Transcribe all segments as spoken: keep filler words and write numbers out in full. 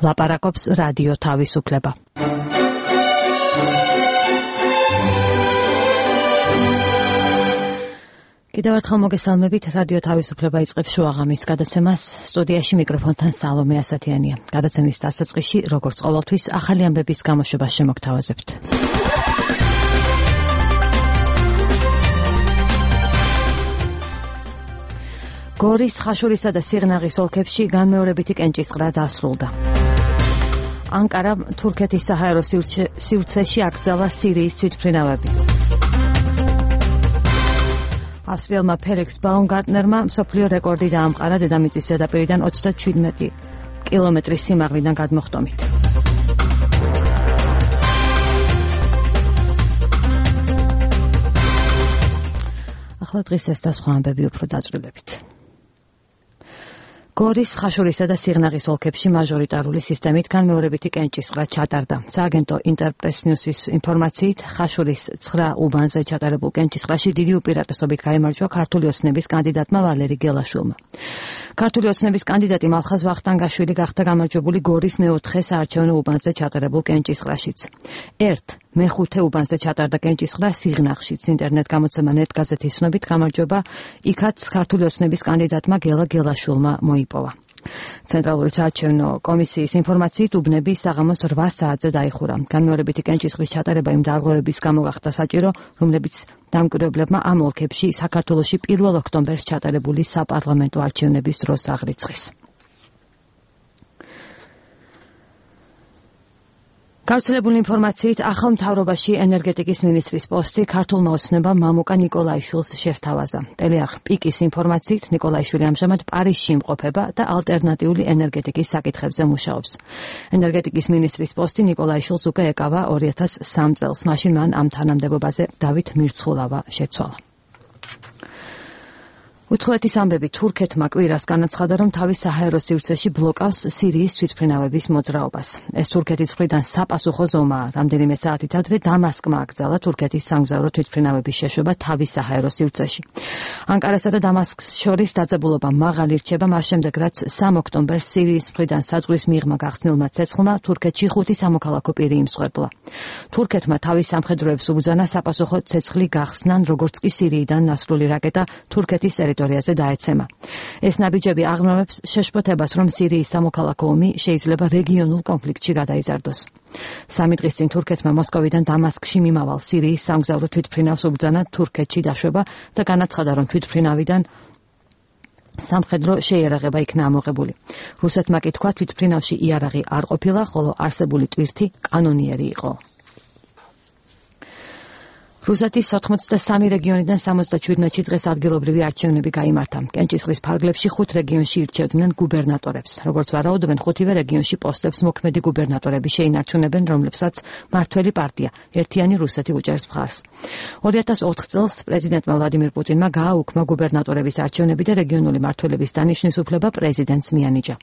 ლაპარაკობს რადიო თავისუფლება. კიდევ ერთხელ მოგესალმებით, რადიო თავისუფლება იწყებს შუაღამის გადაცემას. სტუდიაში მიკროფონთან სალომე ასათიანია. გადაცემის დასაწყისში, როგორც ყოველთვის, ახალი ამბების გამოშვებას შემოგთავაზებთ. გორის, ხაშურისა და სიღნაღის ოლქებში განმეორებითი კენჭისყრა დასრულდა. ანკარა თურქეთის საჰაერო სივრცეში აკრძალა სირიის თვითმფრინავები. ავსტრიელმა ფელიქს ბაუმგარტნერმა მსოფლიო რეკორდი დაამყარა დედამიწის ზედაპირიდან ოცდაჩვიდმეტი კილომეტრის სიმაღლიდან გადმოხტომით. ახლა დღეს ეს და სხვა ამბები უფრო დაწვრილებებით. გორის, ხაშურისა და სიღნაღის ოლქებში მაჟორიტარული სისტემით განმეორებითი კენჭისყრა ჩატარდა. სააგენტო ინტერპრეს-ნიუსის ინფორმაციით, ხაშურის ცხრა უბანზე ჩატარებულ კენჭისყრაში დიდი უპირატესობით გაიმარჯვა ქართული ოცნების კანდიდატმა ვალერი გელაშვილმა. ქართული ოცნების კანდიდატი მალხაზ ვახტანგაშვილი გახდა გამარჯვებული გორის მეოთხე საარჩევნო უბანზე ჩატარებულ კენჭისყრაშიც. ერთ მეხუთე უბანზე ჩატარდა კენჭისყრა სიღნაღშიც. ინტერნეტ გამოცემა ნეტ გაზეთის ცნობით გამარჯვება იქაც ქართული ოცნების კანდიდატმა გელა გელაშვილმა მოიპოვა. ცენტრალური საარჩევნო კომისიის ინფორმაციით უბნები საღამოს რვა საათზე დაიხურა. განმეორებითი კენჭისყრის ჩატარება იმ დარღვევების გამო გახდა საჭირო, რომლებიც დამკვირვებლებმა ამ ოლქებში საქართველოში პირველ ოქტომბერს ჩატარებული საპარლამენტო არჩევნების დროს აღრიცხეს. გავრცელებული ინფორმაციით, ახალ მთავრობაში ენერგეტიკის მინისტრის პოსტი ქართულმა ოცნებამ მამუკა ნიკოლაიშვილს შესთავაზა. ტელეარხ პიკის ინფორმაციით, ნიკოლაიშვილი ამჟამად პარიზში იმყოფება და ალტერნატიული ენერგეტიკის საკითხებზე მუშაობს. ენერგეტიკის მინისტრის პოსტი ნიკოლაიშვილს უკვე ეკავა ორი ათას სამი წელს. მაშინ მან ამ თანამდებობაზე დავით მირცხულავა შეცვალა. უცხოეთის ამბები თურქეთმა კვირას განაცხადა, რომ თავის საჰაერო სივრცეში ბლოკავს სირიის თვითმფრინავების მოძრაობას. ეს თურქეთის მხრიდან საპასუხო ზომაა. რამდენიმე საათით ადრე დამასკმა აკრძალა თურქეთის სამგზავრო თვითმფრინავების შეშვება თავის საჰაერო სივრცეში. ანკარასა და დამასკს შორის დაძაბულობა მაღალი რჩება მას შემდეგ, რაც სამი ოქტომბერს სირიის მხრიდან საზღვრის მიღმა გახსნილმა ცეცხლმა თურქეთში ხუთი სამოქალაქო პირი იმსხვერპლა. თურქეთმა თავის სამხედროებს უბრძანა საპასუხო ცეცხლი გახსნან, როგორც კი სირიიდან ნასრული რაკეტა თურქეთის ტერიტორიაზე დაეცემა. ეს ნაბიჯები აღრმავებს შეშფოთებას, რომ სირიის სამოქალაქო ომი შეიძლება რეგიონულ კონფლიქტში გადაიზარდოს. სამი დღის წინ თურქეთმა მოსკოვიდან დამასკში მიმავალ სირიის სამგზავრო თვითმფრინავს უბრძანა თურქეთში დაშვება და განაცხადა, რომ თვითმფრინავიდან სამხედრო შეიარაღება იქნა ამოღებული. რუსეთმა კი თქვა, თვითმფრინავში იარაღი არ ყოფილა, ხოლო არსებული ტვირთი კანონიერი იყო. რუსეთის ოთხმოცდასამი რეგიონიდან სამოცდაჩვიდმეტში დღეს ადგილობრივი არჩევნები გაიმართა. კენჭისყრის ფარგლებში ხუთ რეგიონში ირჩევდნენ გუბერნატორებს. როგორც ვარაუდობენ, ხუთივე რეგიონში პოსტებს მოქმედი გუბერნატორები შეინარჩუნებენ, რომლებსაც მართველი პარტია ერთიანი რუსეთი უჭერს მხარს. ორი ათას ოთხ წელს პრეზიდენტმა ვლადიმირ პუტინმა გააუქმა გუბერნატორების არჩევნები და რეგიონული მმართველების დანიშვნის უფლება პრეზიდენტს მიანიჭა.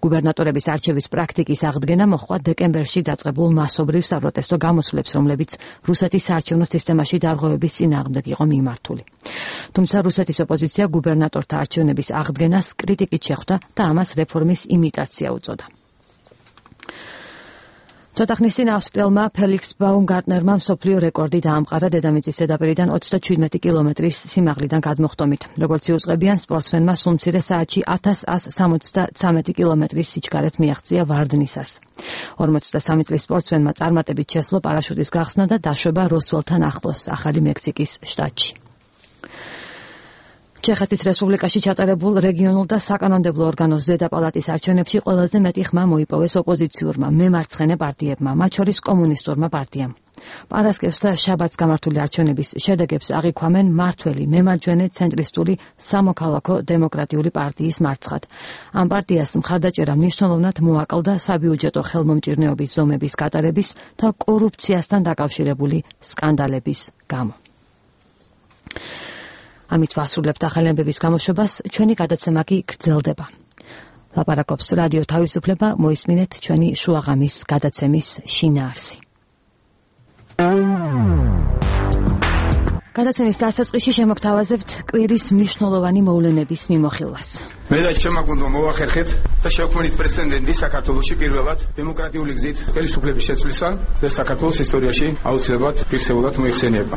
გუბერნატორების არჩევის პრაქტიკის აღდგენა მოჰყვა დეკემბერში დაწყებულ მასობრივ საპროტესტო გამოსვლებს, რომლებიც რუსეთის საარჩევნო სისტემაში დარღვევების წინააღმდეგ იყო მიმართული. თუმცა რუსეთის ოპოზიცია გუბერნატორთა არჩევნების აღდგენას კრიტიკით შეხვდა და ამას რეფორმის იმიტაცია უწოდა. ცოტა ხნის წინ ავსტრიელმა ფელიქს ბაუმგარტნერმა მსოფლიო რეკორდი დაამყარა დედამიწის ზედაპირიდან ოცდაჩვიდმეტი კილომეტრის სიმაღლიდან გადმოხტომით. როგორც იუწყებიან, სპორტსმენმა სულ მცირე საათში ათას ასს სამოცდაცამეტი კილომეტრის სიჩქარეც მიაღწია ვარდნისას. ორმოცდასამი წლის სპორტსმენმა წარმატებით შესძლო პარაშუტის გახსნა და დაშვება როსველთან ახლოს, ახალი მექსიკის შტატში. ჩეხეთის რესპუბლიკაში ჩატარებულ რეგიონულ და საკანონმდებლო ორგანოს ზედა პალატის არჩევნებში ყველაზე მეტი ხმა მოიპოვეს ოპოზიციურმა მემარცხენე პარტიებმა, მათ შორის კომუნისტურმა პარტიამ. პარასკევს და შაბათს გამართული არჩევნების შედეგებს აღიქვამენ მართველი მემარჯვენე ცენტრისტული სამოქალაქო დემოკრატიული პარტიის მარცხად. ამ პარტიას მხარდაჭერა მნიშვნელოვნად მოაკლდა საბიუჯეტო ხელმომჭირნეობის ზომების გატარების და კორუფციასთან დაკავშირებული სკანდალების გამო. ამით ვასრულებთ ახალი ამბების გამოშვებას, ჩვენი გადაცემა კი გრძელდება. ლაპარაკობს რადიო თავისუფლება, მოისმინეთ ჩვენი შუაღამის გადაცემის შინაარსი. გადაცემის დასაწყისში შემოგთავაზებთ კვირის მნიშვნელოვანი მოვლენების მიმოხილვას. მე და შემოგვუნდა მოვახერხეთ და შევქმნით პრეცედენტი საქართველოში პირველად დემოკრატიული გზით ხელისუფლების შეცვლისა და საქართველოს ისტორიაში აუცილებლად ფიქსებულად მოიხსენიება.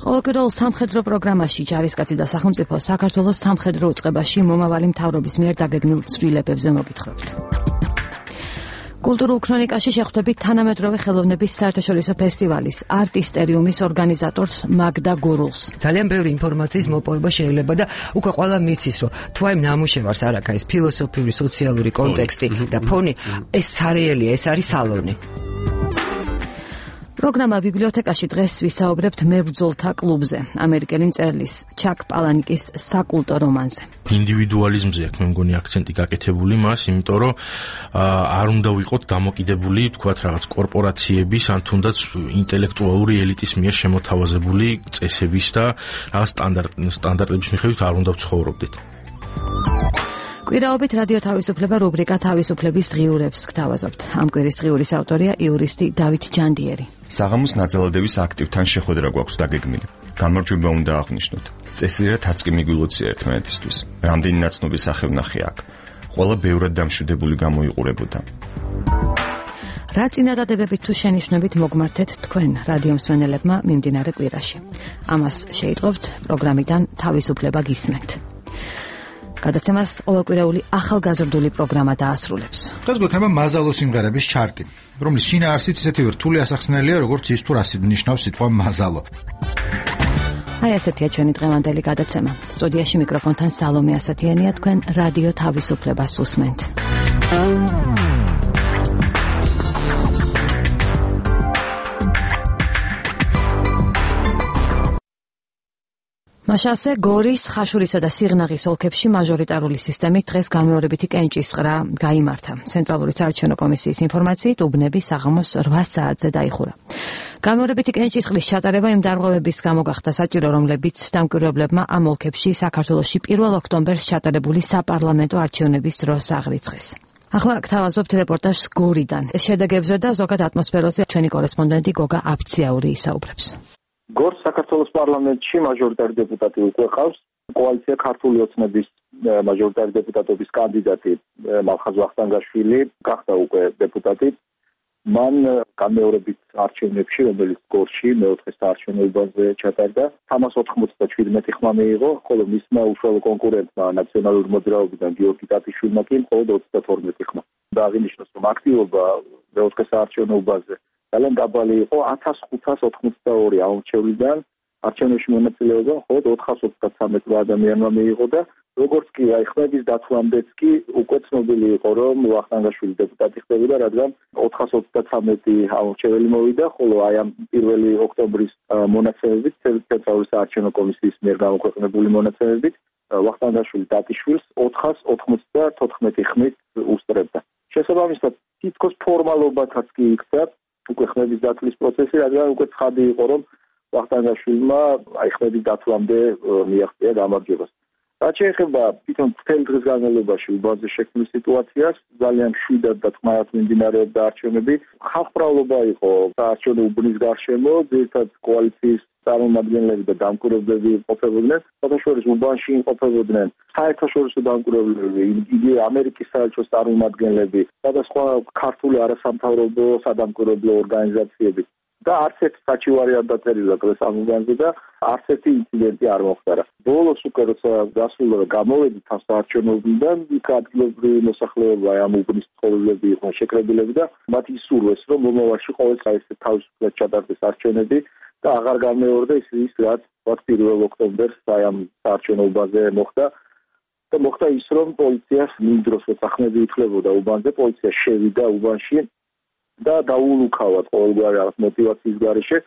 ყოველკვირეულ სამხედრო პროგრამაში ჯარისკაცი და სახელმწიფო საქართველოს სამხედრო უწყებაში მომავალი მთავრობის მიერ დაგეგმილ ცვლილებებზე მოგითხრობთ. კულტურულ ქრონიკაში შეხვდებით თანამედროვე ხელოვნების საერთაშორისო ფესტივალის არტისტერიუმის ორგანიზატორს მაგდა გურულს. ძალიან ბევრი ინფორმაციის მოპოვება შეიძლება და უკვე ყველა მიცის, რომ თუ აი ნამუშევარს არ აქვს ეს ფილოსოფიური, სოციალური კონტექსტი და ფონი, ეს სარეელია, ეს არის სალონი. პროგრამა ბიბლიოთეკაში დღეს ვისაუბრებთ მებრძოლთა კლუბზე, ამერიკელი მწერლის ჩაკ პალანიკის საკულტო რომანზე. ინდივიდუალიზმზე აქვს მე მგონი აქცენტი გაკეთებული მას, იმიტომ რომ არ უნდა ვიყოთ დამოკიდებული, თქვათ რაღაც კორპორაციების ან თუნდაც ინტელექტუალური ელიტის მიერ შემოთავაზებული წესების და რაღაც სტანდარტების მიხედვით არ უნდა ვცხოვრობდეთ. კვირაობით რადიო თავისუფლება რუბრიკა თავისუფლების ღიურებს გთავაზობთ. ამ კვირის ღიურის ავტორია იურისტი დავით ჯანდიერი. საღამოს ნაძალადების აქტივთან შეხვედრა გვაქვს დაგეგმილი. გამარჯვება უნდა აღნიშნოთ. წესიერად არც კი მიგვილოცია ერთმანეთისთვის. რამდენი ნაცნობი სახევნახე აქ. ყველა ბევრად დამშვიდებული გამოიყურებოდა. რა წინადადებებით თუ შენიშვნებით მოგმართეთ თქვენ რადიო მსმენელებმა მიმდინარე კვირაში. ამას შეიტყობთ პროგრამიდან თავისუფლება გისმენთ. გადაცემას ყოველკვირეული ახალგაზრდული პროგრამა დაასრულებს. დღეს გვექნება მაზალო სიმღერების ჩარტი, რომლის შინაარსიც ისეთივე რთული ასახსნელია, როგორც ის თუ რას ნიშნავს სიტყვა მაზალო. აი ასეთია ჩვენი დღევანდელი გადაცემა. სტუდიაში მიკროფონთან სალომე ასათიანია, თქვენ რადიო თავისუფლებას უსმენთ. მაშასე გორის, ხაშურისა და სიღნაღის ოლქებში მაჟორიტარული სისტემით დღეს განმეორებითი კენჭისყრა გაიმართა. ცენტრალური საარჩევნო კომისიის ინფორმაციით უბნები საღამოს რვა საათზე დაიხურა. განმეორებითი კენჭისყრის ჩატარება იმ დარღვევების გამო გახდა საჭირო, რომლებიც დამკვირვებლებმა ამ ოლქებში საქართველოში პირველ ოქტომბერს ჩატარებული საპარლამენტო არჩევნების დროს აღრიცხეს. ახლა გთავაზობთ რეპორტაჟს გორიდან. შედეგებზე და ზოგად ატმოსფეროზე ჩვენი კორესპონდენტი გოგა აფციაური ისაუბრებს. გორს საქართველოს პარლამენტში მაჟორიტარი დეპუტატი უკვე ყავს. კოალიცია ქართული ოცნების მაჟორიტარი დეპუტატობის კანდიდატი მალხაზ ვახტანგაშვილი გახდა უკვე დეპუტატი. მან განმეორებით არჩევნებში, რომელიც გორში მეოთხე საარჩევნოებაზე ჩატარდა, სამას ოთხმოცდაჩვიდმეტი ხმა მიიღო, ხოლო მისმა უშუალო კონკურენტმა ნაციონალური მოძრაობიდან გიორგი ტატიშვილმა კი მხოლოდ ოცდათორმეტი ხმა. და აღინიშნოს, რომ აქტივობა მეოთხე საარჩევნოებაზე ძალიან დაბალი იყო ათას ხუთას ოთხმოცდაორი აურჩევლიდან არჩევნებში მონაწილეობა მხოლოდ ოთხას ოცდათვრამეტი ადამიანმა მიიღო და როგორც კი აი ხმების დათვლამდეც კი უკვე ცნობილი იყო რომ ვახტანგაშვილი დეპუტატი ხდებოდა, რადგან ოთხას ოცდათვრამეტი აურჩეველი მოვიდა, ხოლო აი ამ პირველი ოქტომბრის მონაცემებით ცენტრალური საარჩევნო კომისიის მიერ გამოქვეყნებული მონაცემებით ვახტანგაშვილი დატიშვილს ოთხას ოთხმოცდათოთხმეტი ხმით უსწრებდა. შესაბამისად თითქოს ფორმალობათაც კი იქცა უკვე ხმების დათვლის პროცესი, რადგან უკვე ცხადი იყო, რომ ვახტანგაშვილმა აი ხმების დათვლამდე მიაღწია გამარჯვებას. რაც შეეხება თვითონ მთელ დღის განმავლობაში უბანზე შექმნილ სიტუაციას, ძალიან მშვიდად და წყნარად მიმდინარეობდა არჩევნები. ხალხმრავლობა იყო საარჩევნო უბნის გარშემო, ძირითადად კოალიციის წარმომადგენლები და დამკვირვებლები იმყოფებოდნენ. საერთაშორისო უბანში იმყოფებოდნენ საერთაშორისო დამკვირვებლები, იგი ამერიკის საელჩოს წარმომადგენლები, სხვადასხვა ქართული არასამთავრობო სადამკვირვებლო ორგანიზაციები. და არც ერთი საჩივარი არ დაწერილა დღეს ამ უბანზე და არც ერთი ინციდენტი არ მოხდარა. ბოლოს უკვე როცა გასულა და გამოვედით ამ საარჩევნო უბნიდან, იქ ადგილობრივი მოსახლეობა ამ უბნის მცხოვრებლები იყვნენ შეკრებილები და მათ ისურვეს, რომ მომავალში ყოველთვის ეს თავისუფლად ჩატარდეს არჩევნები და აღარ გამეორდა ის ის რაც პირველ ოქტომბერს აი ამ საარჩევნო უბანზე მოხდა. და მოხდა ის, რომ პოლიციას იმ დროს როცა ხმები ითვლებოდა უბანზე, პოლიცია შევიდა უბანში და დაულუქავად ყოველგვარი რაღაც მოტივაციის გარეშე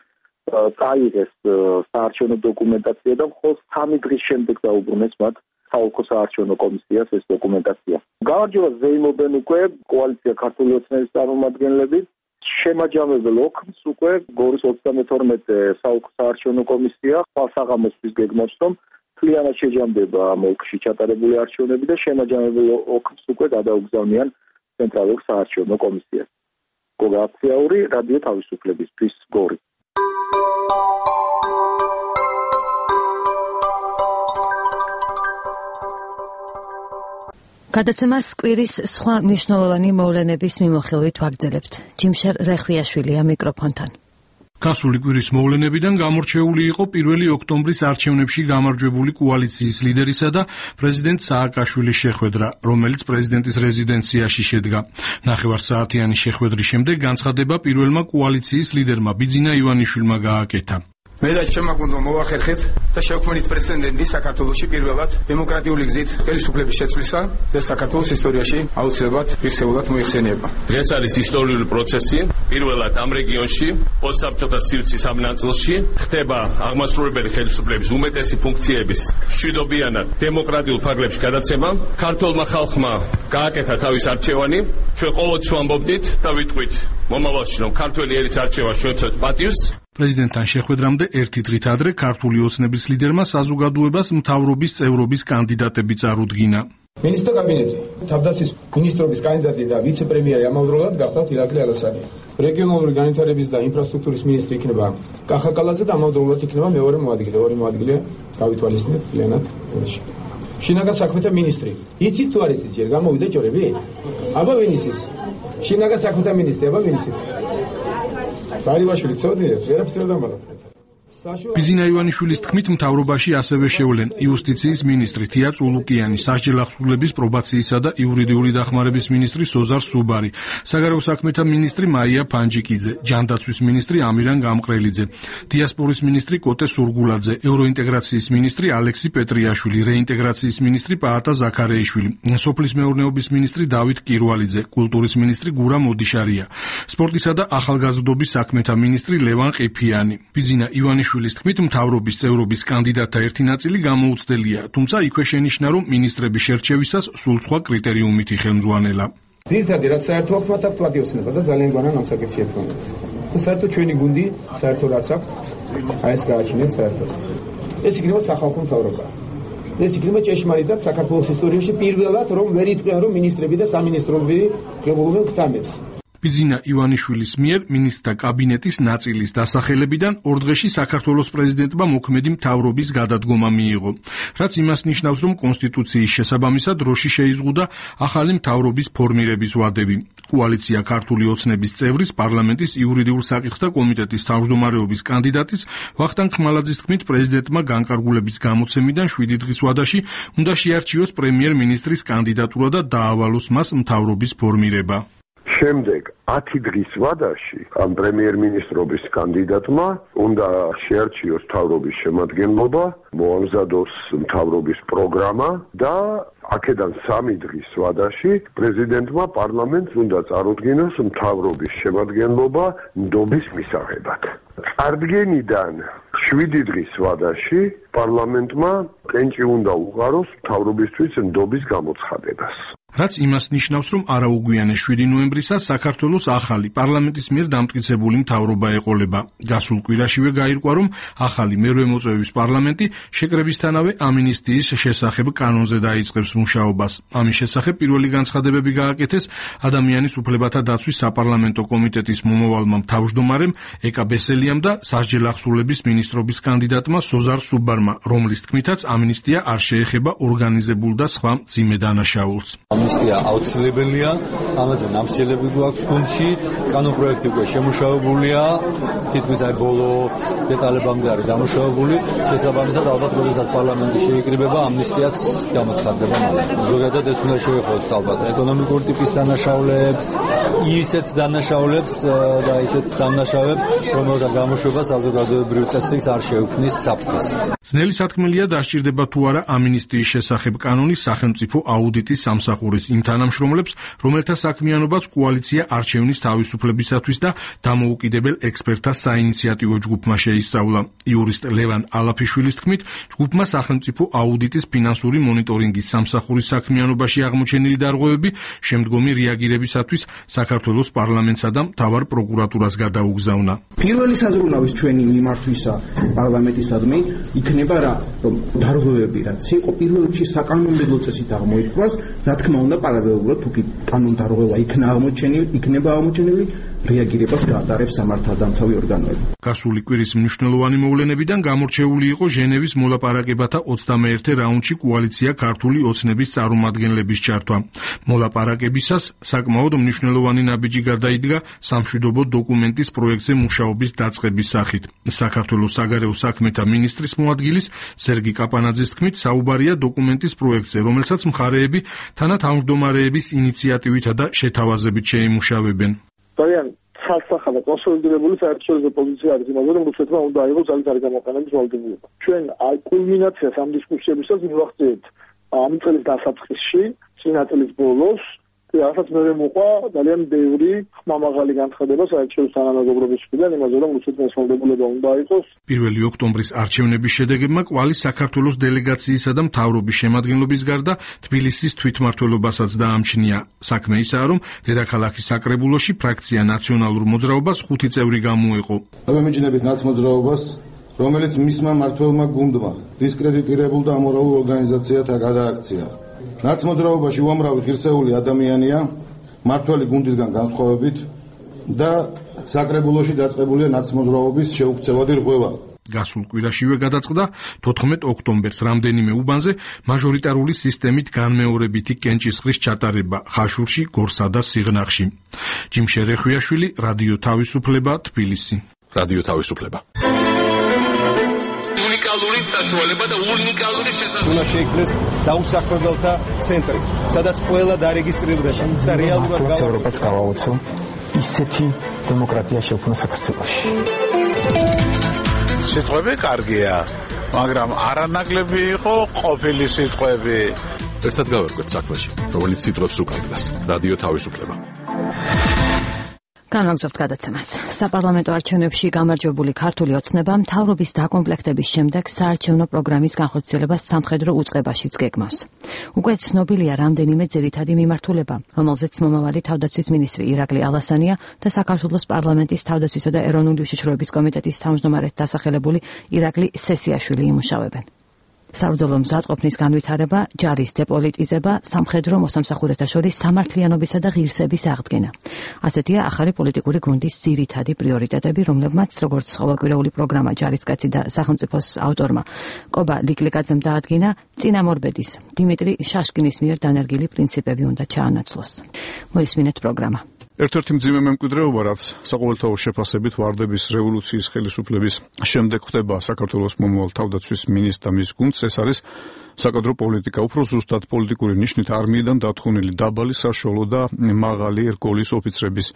წაიღეს საარჩევნო დოკუმენტაცია და მხოლოდ სამი დღის შემდეგ დაუბრუნეს მათ საოლქო საარჩევნო კომისიას ეს დოკუმენტაცია. გამარჯვებას ზეიმობენ უკვე კოალიცია ქართული ოცნების წარმომადგენლები. შემაჯამებელ ოქმს უკვე გორის ოცდამეთორმეტე საოლქო საარჩევნო კომისია ხვალსაღამოსთვის გეგმავს, რომ მთლიანად შეჯამდება ამ ოლქში ჩატარებული არჩევნები და შემაჯამებელ ოქმს უკვე გადაუგზავნიან ცენტრალურ საარჩევნო კომისიას. გოგა აფციაური, რადიო თავისუფლებისთვის, გორი. გადაცემას კვირის სხვა მნიშვნელოვანი მოვლენების მიმოხილვით ვაგრძელებთ. ჯიმშერ რეხვიაშვილია მიკროფონთან. გასული კვირის მოვლენებიდან გამორჩეული იყო პირველი ოქტომბრის არჩევნებში გამარჯვებული კოალიციის ლიდერისა და პრეზიდენტ სააკაშვილის შეხვედრა, რომელიც პრეზიდენტის რეზიდენციაში შედგა. ნახევარსაათიანი შეხვედრის შემდეგ განცხადება პირველმა კოალიციის ლიდერმა ბიძინა ივანიშვილმა გააკეთა. მე და ჩემმა გუნდმა მოვახერხეთ და შევქმნით პრეცედენტი საქართველოში პირველად დემოკრატიული გზით ხელისუფლების შეცვლისა და საქართველოს ისტორიაში აუცილებლად ფიქსირებულად მოიხსენიება. დღეს არის ისტორიული პროცესი. პირველად ამ რეგიონში პოსტსაბჭოთა სივრცის ამ ნაწილში ხდება აღმასრულებელი ხელისუფლების უმეტესი ფუნქციების მშვიდობიანად დემოკრატიულ ფარგლებში გადაცემა. ქართულმა ხალხმა გააკეთა თავის არჩევანი. ჩვენ ყოველთვის ვამბობდით და ვიტყვით მომავალში, რომ ქართველი ერის არჩევა შევცვლეთ პატივს. პრეზიდენტთან შეხვედრამდე ერთი დღით ადრე ქართული ოცნების ლიდერმა საზოგადოებას მთავრობის წევრობის კანდიდატები წარუდგინა. მინისტრთა კაბინეტი თავდაცვის მინისტრობის კანდიდატი და ვიცე-პრემიერი ამავდროულად გახდათ ირაკლი ალასანი. რეგიონალური განვითარების და ინფრასტრუქტურის მინისტრი იქნება კახა კალაძე და ამავდროულად იქნება მეორე მოადგილე. ორი მოადგილე გავითვალისწინეთ ძალიანად. შინაგან საქმეთა მინისტრი. იცით თუ არ იცით ჯერ გამოვიდა ჯორები? აბა ვინ იცის? შინაგან საქმეთა მინისტრი, აბა ვინ იცით? ბარიბაშვილი წოდიეთ, ვერაფერს ვერ დამალავთ. ბიძინა ივანიშვილის თქმით მთავრობაში ასევე შევლენ იუსტიციის მინისტრი თია წულუკიანი, სასჯელ ახსრულების პრობაციისა და იურიდიული დახმარების მინისტრი სოზარ სუბარი, საგარეო საქმეთა მინისტრი მაია ფანჯიკიძე, ჯანდაცვის მინისტრი ამირან გამყრელიძე, დიასპორის მინისტრი კოტე სურგულაძე, ევროინტეგრაციის მინისტრი ალექსი პეტრიაშვილი, რეინტეგრაციის მინისტრი პაატა ზაქარეიშვილი, სოფლის მეურნეობის მინისტრი დავით კირვალიძე, კულტურის მინისტრი გურა მოდიშარია, სპორტისა და ახალგაზრდობის საქმეთა მინისტრი ლევან ყიფიანი. ბიძინა ივანიშვილის შვილის თქმით მთავრობის წევრობის კანდიდატთა ერთი ნაწილი გამოუცდელია, თუმცა იქვე შენიშნა, რომ მინისტრების შერჩევისას სულ სხვა კრიტერიუმით იხელმძღვანელა. ძირითადად რაც საერთო აქვს მათ აქვს პატიოსნება და ძალიან გვანან ამ საკითხში ერთმანეთს. და საერთოდ ჩვენი გუნდი საერთოდ რაც აქვს, აი ეს გააჩინეთ საერთოდ. ეს იქნება სახალხო მთავრობა. ეს იქნება ჭეშმარიტად საქართველოს ისტორიაში პირველად, რომ ვერ იტყვიან, რომ მინისტრები და სამინისტროები ღებულობენ ქთამებს. ბიძინა ივანიშვილის მიერ მინისტრთა კაბინეტის ნაწილის დასახელებიდან ორ დღეში საქართველოს პრეზიდენტმა მოქმედი მთავრობის გადადგომა მიიღო, რაც იმას ნიშნავს, რომ კონსტიტუციის შესაბამისად დროში შეიზღუდა ახალი მთავრობის ფორმირების ვადები. კოალიცია ქართული ოცნების წევრის პარლამენტის იურიდიულ საკითხთა კომიტეტის თავმჯდომარეობის კანდიდატის ვახტანგ ხმალაძის თქმით, პრეზიდენტმა განკარგულების გამოცემიდან შვიდი დღის ვადაში უნდა შეარჩიოს პრემიერ-მინისტრის კანდიდატურა და დაავალოს მას მთავრობის ფორმირება. შემდეგ ათი დღის ვადაში ამ პრემიერ-მინისტრობის კანდიდატმა უნდა შეარჩიოს მთავრობის შემადგენლობა, მოამზადოს მთავრობის პროგრამა და აქედან სამი დღის ვადაში პრეზიდენტმა პარლამენტს უნდა წარუდგინოს მთავრობის შემადგენლობა ნდობის მისაღებად. წარდგენიდან შვიდი დღის ვადაში პარლამენტმა კენჭი უნდა უყაროს მთავრობისთვის ნდობის გამოცხადებას. რაც იმას ნიშნავს, რომ არაუგვიანე შვიდი ნოემბრისას საქართველოს ახალი პარლამენტის მიერ დამტკიცებული მთავრობა ეყოლება. გასულ კვირაშივე გაირკვა, რომ ახალი მერვე მოწვევის პარლამენტი შეკრებისთანავე ამინისტიის შესახებ კანონზე დაიწყებს მუშაობას. ამის შესახებ პირველი განცხადებები გააკეთეს ადამიანის უფლებათა დაცვის საპარლამენტო კომიტეტის მომავალმა თავმჯდომარემ ეკა ბესელიამ და სასჯელ ახსრულების მინისტრობის კანდიდატმა სოზარ სუბარმა, რომლის თქმითაც ამინისტია არ შეეხება ორგანიზებულ და სხვა მძიმე დანაშაულს. ამნისტია აუცილებელია, ამაზე ნამსჯელები გვაქვს გუნდში, კანონპროექტი უკვე შემუშავებულია, თითქმის აი ბოლო დეტალებამდე არის დამუშავებული, შესაბამისად ალბათ როდესაც პარლამენტი შეიკრიბება, ამნისტიაც გამოცხადდება მალე. ზოგადად ეს უნდა შეეხოს ალბათ ეკონომიკურ ტიპის დანაშაულებს, ისეთ დანაშაულებს და ისეთ დანაშაულებს, რომელთა გამოშვება საზოგადოებრივ წესრიგს არ შეუქმნის საფრთხეს. ძნელი სათქმელია დასჭირდება თუ არა ამინისტიის შესახებ კანონის სახელმწიფო აუდიტის სამსახურის იმ თანამშრომლებს, რომელთა საქმიანობაც კოალიცია არჩევნის თავისუფლებისათვის და დამოუკიდებელ ექსპერტთა საინიციატივო ჯგუფმა შეისწავლა. იურისტ ლევან ალაფიშვილის თქმით, ჯგუფმა სახელმწიფო აუდიტის ფინანსური მონიტორინგის სამსახურის საქმიანობაში აღმოჩენილი დარღვევები შემდგომი რეაგირებისათვის საქართველოს პარლამენტსა და მთავარ პროკურატურას გადაუგზავნა. პირველი საზრუნავის ჩვენი მიმართვისა პარლამენტისადმი იქნება რა, რომ დარღვევები რაც იყო პირველ რიგში საკანონმდებლო წესით აღმოითქვას, რა თქმა უნდა პარალელურად თუ კი კანონდარღვევა იქნა აღმოჩენილი, იქნება აღმოჩენილი, რეაგირებას გაატარებს სამართალდამცავი ორგანოები. გასული კვირის მნიშვნელოვანი მოვლენებიდან გამორჩეული იყო ჟენევის მოლაპარაკებათა ოცდამეერთე რაუნდში კოალიცია ქართული ოცნების წარმომადგენლების ჩართვა. მოლაპარაკებისას საკმაოდ მნიშვნელოვანი ნაბიჯი გადაიდგა სამშვიდობო დოკუმენტის პროექტზე მუშაობის დაწყების სახით. საქართველოს საგარეო საქმეთა მინისტრის მოადგილის სერგი კაპანაძის თქმით, საუბარია დოკუმენტის პროექტზე, რომელსაც მხარეები თანათავმჯდომარეების ინიციატივითა და შეთავაზებით შეიმუშავებენ. ძალიან ცალსახა და კონსოლიდირებული საერთაშორისო პოზიცია არის იმაზე, რომ რუსეთმა უნდა აიღოს ძალითარი გამოყენების ვალდებულება. ჩვენ კულმინაციას ამ დისკუსიებისას მივახციეთ ამ წლის დასაწყისში, წინა წლის ბოლოს, რასაც მე მოყვა ძალიან ბევრი ხმამაღალი განცხადება საერთაშორისო თანამეგობრობის მხრიდან იმაზე, რომ რუსეთმა ეს ვალდებულება უნდა აიღოს. პირველი ოქტომბრის არჩევნების შედეგებმა კვალი საქართველოს დელეგაციისა და მთავრობის შემადგენლობის გარდა თბილისის თვითმმართველობასაც დაამჩნია. საქმე ისაა, რომ დედაქალაქის საკრებულოში ფრაქცია ნაციონალურ მოძრაობას ხუთი წევრი გამოეყო. ამემიჯნებით ნაცმოძრაობას, რომელიც მისმა მმართველმა გუნდმა დისკრედიტირებულ და ამორალურ ორგანიზაციათა გადააქცია. ნაცმოძრაობაში უამრავი ღირსეული ადამიანია, მმართველი გუნდისგან განსხვავებით და საკრებულოში დაწყებულია ნაცმოძრაობის შეუქცევადი რღვევა. გასულ კვირაშივე გადაწყდა თოთხმეტ ოქტომბერს რამდენიმე უბანზე მაჟორიტარული სისტემით განმეორებითი კენჭისყრის ჩატარება ხაშურში, გორსა და სიღნაღში. ჯიმშე რეხვიაშვილი, რადიო თავისუფლება, თბილისი. რადიო თავისუფლება. უნიკალური საშუალება და უნიკალური შესაძლებლობა. უნდა შეიქმნეს დაუსაქმებელთა ცენტრი, სადაც ყველა დარეგისტრირდება და რეალურად ევროპას გავაოცო ისეთი დემოკრატია შექმნა საქართველოში. სიტყვები კარგია, მაგრამ არანაკლები იყო ყოფილი სიტყვები. ერთად გავერკვეთ საქმეში, რომელიც სიტყვებს უკარგავს. რადიო თავისუფლება. განვაგრძობთ გადაცემას. საპარლამენტო არჩევნებში გამარჯვებული ქართული ოცნება მთავრობის დაკომპლექტების შემდეგ საარჩევნო პროგრამის განხორციელებას სამხედრო უწყებაშიც გეგმავს. უკვე ცნობილია რამდენიმე ძირითადი მიმართულება, რომელზეც მომავალი თავდაცვის მინისტრი ირაკლი ალასანია და საქართველოს პარლამენტის თავდაცვისა და ეროვნული უშიშროების კომიტეტის თავმჯდომარედ დასახელებული ირაკლი სესიაშვილი იმუშავებენ. საბრძოლო მზადყოფნის განვითარება, ჯარის დეპოლიტიზება, სამხედრო მოსამსახურეთა შორის სამართლიანობისა და ღირსების აღდგენა. ასეთია ახალი პოლიტიკური გუნდის ძირითადი პრიორიტეტები, რომლებმაც როგორც ყოველკვირეული პროგრამა ჯარისკაცი და სახელმწიფოს ავტორმა კობა ლიკლიკაძემ დაადგინა, წინამორბედის დიმიტრი შაშკინის მიერ დანერგილი პრინციპები უნდა ჩაანაცვლოს. მოისმინეთ პროგრამა. ერთ-ერთი მძიმე მემკვიდრეობა, რაც საყოველთაო შეფასებით ვარდების რევოლუციის ხელისუფლების შემდეგ ხდება საქართველოს მომავალ თავდაცვის მინისტრ და მის გუნდს, ეს არის საკადრო პოლიტიკა, უფრო ზუსტად პოლიტიკური ნიშნით არმიიდან დათხოვნილი დაბალი, საშუალო და მაღალი რგოლის ოფიცრების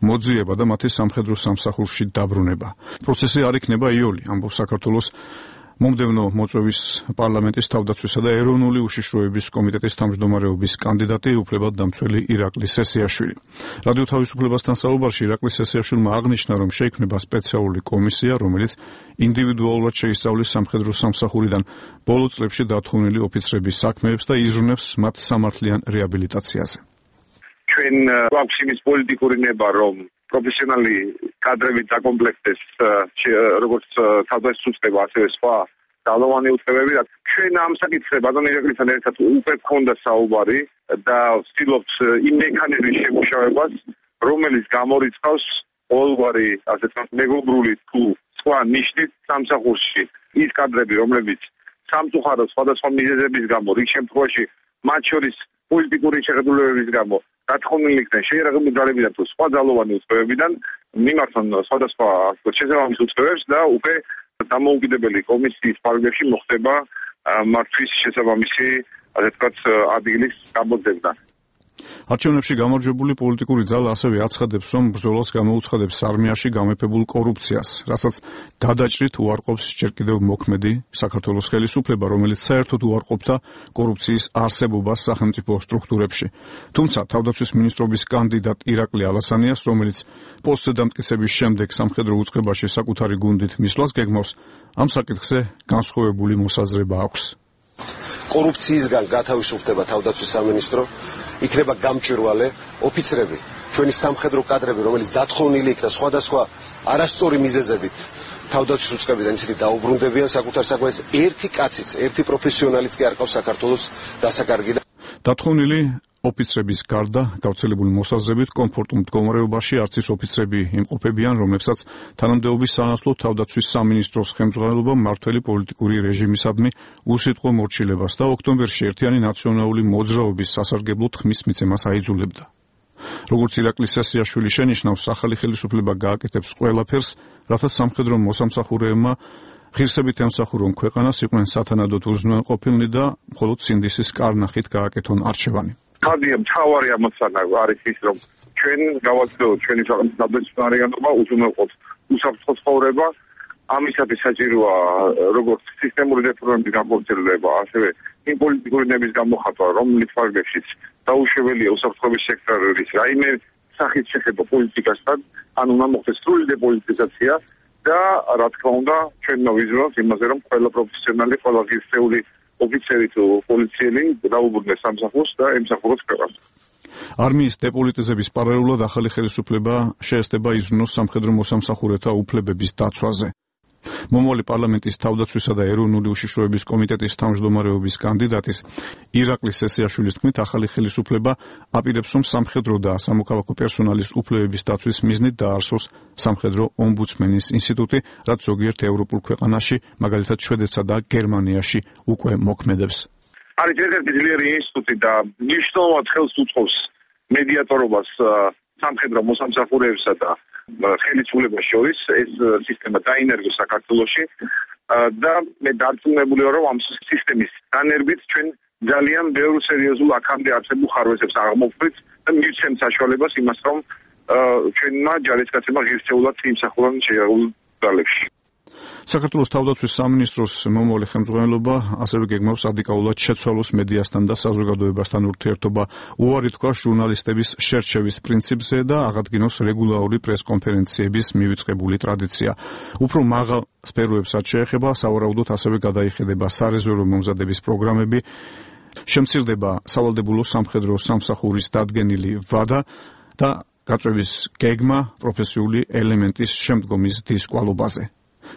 მოძიება და მათი სამხედრო სამსახურში დაბრუნება. პროცესი არ იქნება იოლი, ამბობს საქართველოს მომდევნო მოწვევის პარლამენტის თავდაცვისა და ეროვნული უშიშროების კომიტეტის თავმჯდომარეობის კანდიდატი უფლებადდამცველი ირაკლი სესიაშვილი. რადიო თავისუფლებასთან საუბარში ირაკლი სესიაშვილმა აღნიშნა, რომ შეიქმნება სპეციალური კომისია, რომელიც ინდივიდუალურად შეისწავლის სამხედრო სამსახურიდან ბოლო წლებში დათხოვნილი ოფიცრების საქმეებს და იზრუნებს მათ სამართლიან რეაბილიტაციაზე. ჩვენ გვაქვს იმის პოლიტიკური ნება, რომ პროფესიონალი კადრებით დაკომპლექტდეს როგორც თავდაცვის უწყება, ასევე სხვა ძალოვანი უწყებები. ჩვენ ამ საკითხზე ბატონ ირაკლისთან ერთად უკვე გქონდა საუბარი და ვცდილობთ იმ მექანიზმის შემუშავებას, რომელიც გამორიცხავს ყოველგვარი, ასე ვთქვათ, მეგობრული თუ სხვა ნიშნით სამსახურში ის კადრები, რომლებიც სამწუხაროდ სხვადასხვა მიზეზების გამო, რიგ შემთხვევაში მათ შორის პოლიტიკური შეხედულებების გამო დათხოვნილი იქნენ შეიარაღებული ძალებიდან თუ სხვა ძალოვანი უწყებებიდან, მიმართონ სხვადასხვა შესაბამის უწყებებს და უკვე დამოუკიდებელი კომისიის ფარგლებში მოხდება მართვის შესაბამისი, ასე ვთქვათ, ადგილის გამოძებნა. არჩევნებში გამარჯვებული პოლიტიკური ძალა ასევე აცხადებს, რომ ბრძოლას გამოუცხადებს არმიაში გამეფებულ კორუფციას, რასაც გადაჭრით უარყოფს ჯერ კიდევ მოქმედი საქართველოს ხელისუფლება, რომელიც საერთოდ უარყოფდა კორუფციის არსებობას სახელმწიფო სტრუქტურებში. თუმცა თავდაცვის მინისტრობის კანდიდატ ირაკლი ალასანიას, რომელიც პოსტზე დამტკიცების შემდეგ სამხედრო უწყებაში საკუთარი გუნდით მისვლას გეგმავს, ამ საკითხზე განსხვავებული მოსაზრება აქვს. კორუფციისგან გათავისუფლდება თავდაცვის სამინისტრო, იქნება გამჭვირვალე ოფიცრები, ჩვენი სამხედრო კადრები, რომელიც დათხოვნილი იქნა სხვადასხვა არასწორი მიზეზებით თავდაცვის უწყებიდან ისინი დაუბრუნდებიან საკუთარ საქმეს. ერთი კაციც, ერთი პროფესიონალიც კი არ ყავს საქართველოს დასაკარგი. დათხოვნილი ოფიცრების გარდა გავრცელებული მოსაზრებით კომფორტულ მდგომარეობაში არც ის ოფიცრები იმყოფებიან, რომლებსაც თანამდებობის სანაცვლოდ თავდაცვის სამინისტროს ხელმძღვანელობა მმართველი პოლიტიკური რეჟიმისადმი უსიტყვო მორჩილებას და ოქტომბერში ერთიანი ნაციონალური მოძრაობის სასარგებლო თქმის მიცემას აიძულებდა. როგორც ირაკლი სესიაშვილი შენიშნავს, ახალი ხელისუფლება გააკეთებს ყველაფერს, რათა სამხედრო მოსამსახურეებმა ღირსებით ემსახურონ ქვეყანას, იყვნენ სათანადოდ უზრუნველყოფილნი და მხოლოდ სინდისის კარნახით გააკეთონ არჩევანი. ხადია მთავარი ამოცანა არის ის, რომ ჩვენ გავაცდოთ ჩვენი ქვეყნის ნაბეჭდარიანობა, უზრუნველყოფთ უსაფრთხო ცხოვრება. ამისათვის საჭიროა როგორც სისტემური რეფორმების განხორციელება, ასევე იმ პოლიტიკური ნების გამოხატვა, რომლის ფარგლებშიც დაუშვებელია უსაფრთხოების სექტორის რაიმე სახით შეხება პოლიტიკასთან, ან უნდა მოხდეს სრული დეპოლიტიზაცია და რა თქმა უნდა ჩვენ მოვიზრუნოთ იმაზე, რომ ყველა პროფესიონალი, ყველა ღირსეული ოფიცერი თუ პოლიციელი დაუბრუნდეს სამსახურს და ემსახუროს ქვეყანას. არმიის დეპოლიტიზების პარალელურად ახალი ხელისუფლება შეესწება იზრუნოს სამხედრო მოსამსახურეთა უფლებების დაცვაზე. მომავალი პარლამენტის თავდაცვისა და ეროვნული უშიშროების კომიტეტის თავმჯდომარეობის კანდიდატის ირაკლი სესიაშვილის თქმით, ახალი ხელისუფლება აპირებს, რომ სამხედრო და სამოქალაქო პერსონალის უფლებების დაცვის მიზნით დაარსოს სამხედრო ომბუდსმენის ინსტიტუტი, რაც ზოგიერთ ევროპულ ქვეყანაში, მაგალითად შვედეთსა და გერმანიაში უკვე მოქმედებს. არის ერთ-ერთი ძლიერი ინსტიტუტი და მნიშვნელოვნად ხელს უწყობს მედიატორობას სამხედრო მოსამსახურეებსა და ხელისუფლებას შორის. ეს სისტემა დაინერგოს საქართველოში და მე დარწმუნებული ვარ, რომ ამ სისტემის დანერგვით ჩვენ ძალიან ბევრ სერიოზულ აქამდე არსებულ ხარვეზებს აღმოვხვრით და მივცემთ საშუალებას იმას, რომ ჩვენმა ჯარისკაცებმა ღირსეულად იმსახურონ შეერულ ძალებში. საქართველოს თავდაცვის სამინისტროს მომავალი ხელმძღვანელობა ასევე გეგმავს რადიკალურად შეცვალოს მედიასთან და საზოგადოებასთან ურთიერთობა, უარი თქვა ჟურნალისტების შერჩევის პრინციპზე და აღადგინოს რეგულარული პრესკონფერენციების მივიწყებული ტრადიცია. უფრო მაღალ სფეროებსაც შეეხება, სავარაუდოდ ასევე გადაიხედება სარეზერვო მომზადების პროგრამები, შემცირდება სავალდებულო სამხედრო სამსახურის დადგენილი ვადა და გაწვევის გეგმა პროფესიული ელემენტის შემდგომის დისკვალობაზე.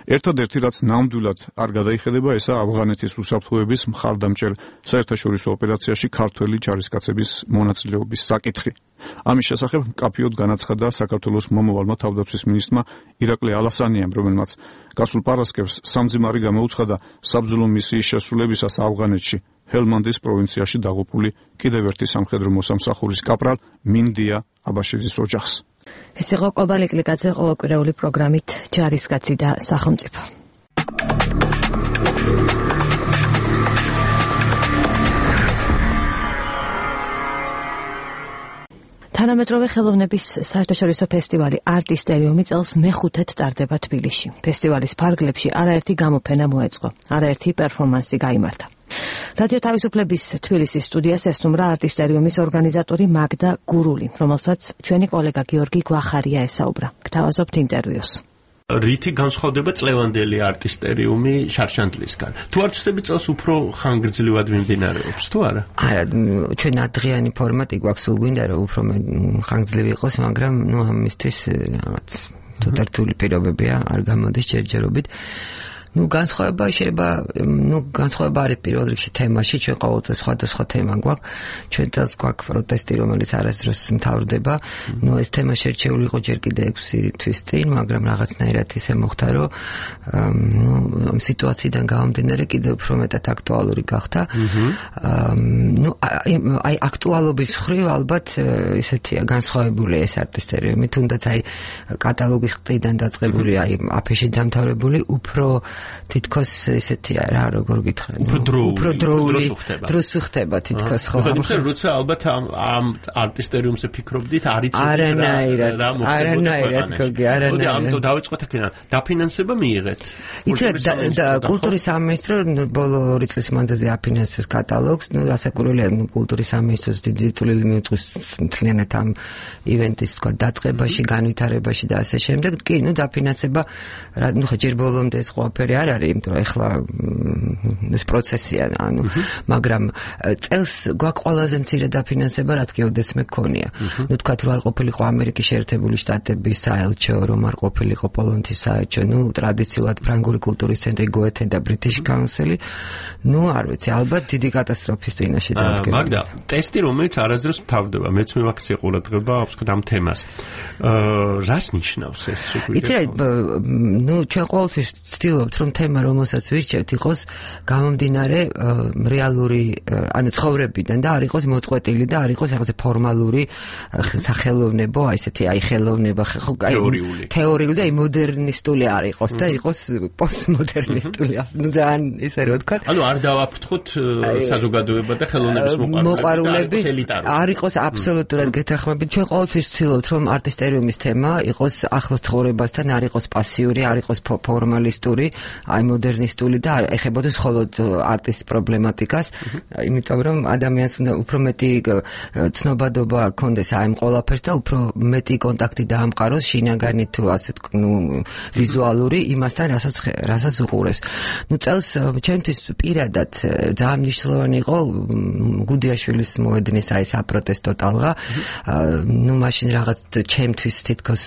ერთადერთი რაც ნამდვილად არ გადაიხედება, ესაა ავღანეთის უსაფრთხოების მხარდამჭერ საერთაშორისო ოპერაციაში ქართველი ჯარისკაცების მონაწილეობის საკითხი. ამის შესახებ მკაფიოდ განაცხადა საქართველოს მომავალმა თავდაცვის მინისტრმა ირაკლი ალასანიამ, რომელმაც გასულ პარასკევს სამძიმარი გამოუცხადა საბრძოლო მისიის შესრულებისას ავღანეთში ჰელმანდის პროვინციაში დაღუპული კიდევ ერთი სამხედრო მოსამსახურის კაპრალ მინდია აბაშიძის ოჯახს. ეს იყო კობალი კლიკაძე ყოველკვირეული პროგრამით ჯარისკაცი და სახელმწიფო. თანამედროვე ხელოვნების საერთაშორისო ფესტივალი არტისტერიუმი წელს მეხუთედ ტარდება თბილისში. ფესტივალის ფარგლებში არაერთი გამოფენა მოეწყო, არაერთი პერფორმანსი გაიმართა. რადიო თავისუფლების თბილისის სტუდიას ესტუმრა არტისტერიუმის ორგანიზატორი მაგდა გურული, რომელსაც ჩვენი კოლეგა გიორგი გვახარია ესაუბრა. გთავაზობთ ინტერვიუს. რითი განსხვავდება წლევანდელი არტისტერიუმი შარშანტლისგან? თუ არ ვცდები, წელს უფრო ხანგრძლივად მიმდინარეობს, თუ არა? არა, ჩვენ ადრიანი ფორმატი გვაქვს, სულ გვინდა რომ უფრო ხანგრძლივი იყოს, მაგრამ ნუ ამისთვის რაღაც ცოტა რთული პირობებია, არ გამოდის ჯერჯერობით. ნუ განსხვავება შეიძლება, ნუ განსხვავება არის პირველ რიგში თემაში, ჩვენ ყოველწელს სხვადასხვა თემა გვაქვს. ჩვენ წელს გვაქვს პროტესტი, რომელიც არასდროს მთავრდება. ნუ ეს თემა შერჩეული იყო ჯერ კიდე ექვსი თვის წინ, მაგრამ რაღაცნაირად ისე მოხდა, რომ ნუ ამ სიტუაციიდან გამომდინარე კიდევ უფრო მეტად აქტუალური გახდა. ნუ აი აქტუალობის მხრივ ალბათ ისეთია განსხვავებული ეს არტისტერიუმი, თუნდაც აი კატალოგის ყდიდან დაწყებული, აი აფიში დამთავრებული, უფრო თითქოს ესეთია რა, როგორ გითხრა, უფრო დროული, უფრო დროული დროს ხდება თითქოს ხო. ანუ როცა ალბათ ამ ამ არტისტერიუმზე ფიქრობდით, არ იცით არანაირად, რა მოხდებოდა. არანაირად, გოგი, არანაირად. ამიტომ დავიწყოთ აქედან. დაფინანსება მიიღეთ. იცით, კულტურის სამინისტრო ბოლო ორი წლის მანძილზე აფინანსებს კატალოგს, ნუ ასაკურველია, ნუ კულტურის სამინისტროს დიდი წვლილი მიუძღვის მთლიანად ამ ივენტის თქვა დაწყებაში, განვითარებაში და ასე შემდეგ. კი, ნუ დაფინანსება, ნუ ხო ჯერ ბოლომდე ეს ყველაფერი ნებისმიერი არ არის, იმიტომ რომ ეხლა ეს პროცესია, ანუ, მაგრამ წელს გვაქვს ყველაზე მცირე დაფინანსება, რაც გეოდესმე გქონია. ნუ თქვათ რომ არ ყოფილიყო ამერიკის შეერთებული შტატების საელჩო, რომ არ ყოფილიყო პოლონეთის საელჩო, ნუ ტრადიციულად ფრანგული კულტურის ცენტრი გოეთე და ბრიტიშ კაუნსელი, ნუ არ ვიცი, ალბათ დიდი კატასტროფის წინაშე დადგება. მაგდა, ტესტი რომელიც არასდროს მთავრდება, მეც მივაქციე ყურადღება ვთქვათ ამ თემას. აა რას ნიშნავს ეს? იცი რა, ნუ ჩვენ ყოველთვის ვცდილობთ რომ თემა რომელსაც ვირჩევთ იყოს გამომდინარე რეალური, ანუ ცხოვრებიდან და არ იყოს მოწყვეტილი და არ იყოს რაღაცა ფორმალური სახელოვნებო, აი ესეთი აი ხელოვნება, ხო, აი თეორიული და მოდერნისტული არ იყოს და იყოს პოსტმოდერნისტული, ნუ ძალიან ისე რა ვთქვათ. ანუ არ დავაფრთხოთ საზოგადოება და ხელოვნების მოყვარულები, არ იყოს აბსოლუტურად გეთანხმებით. ჩვენ ყოველთვის ვცდილობთ რომ არტისტერიუმის თემა იყოს ახლოს ცხოვრებასთან, არ იყოს პასიური, არ იყოს ფორმალისტური, აი მოდერნისტული და ეხებოდეს მხოლოდ არტის პრობლემატიკას, იმიტომ რომ ადამიანს უნდა უფრო მეტი ცნობადობა ჰქონდეს აი ამ ყველაფერს და უფრო მეტი კონტაქტი დაამყაროს შინაგანი თუ ასე ნუ ვიზუალური იმასთან, რასაც რასაც უყურებს. ნუ წელს ჩემთვის პირადად ძალიან მნიშვნელოვანი იყო გუდიაშვილის მოედნის აი საპროტესტო ტალღა. ნუ მაშინ რაღაც ჩემთვის თითქოს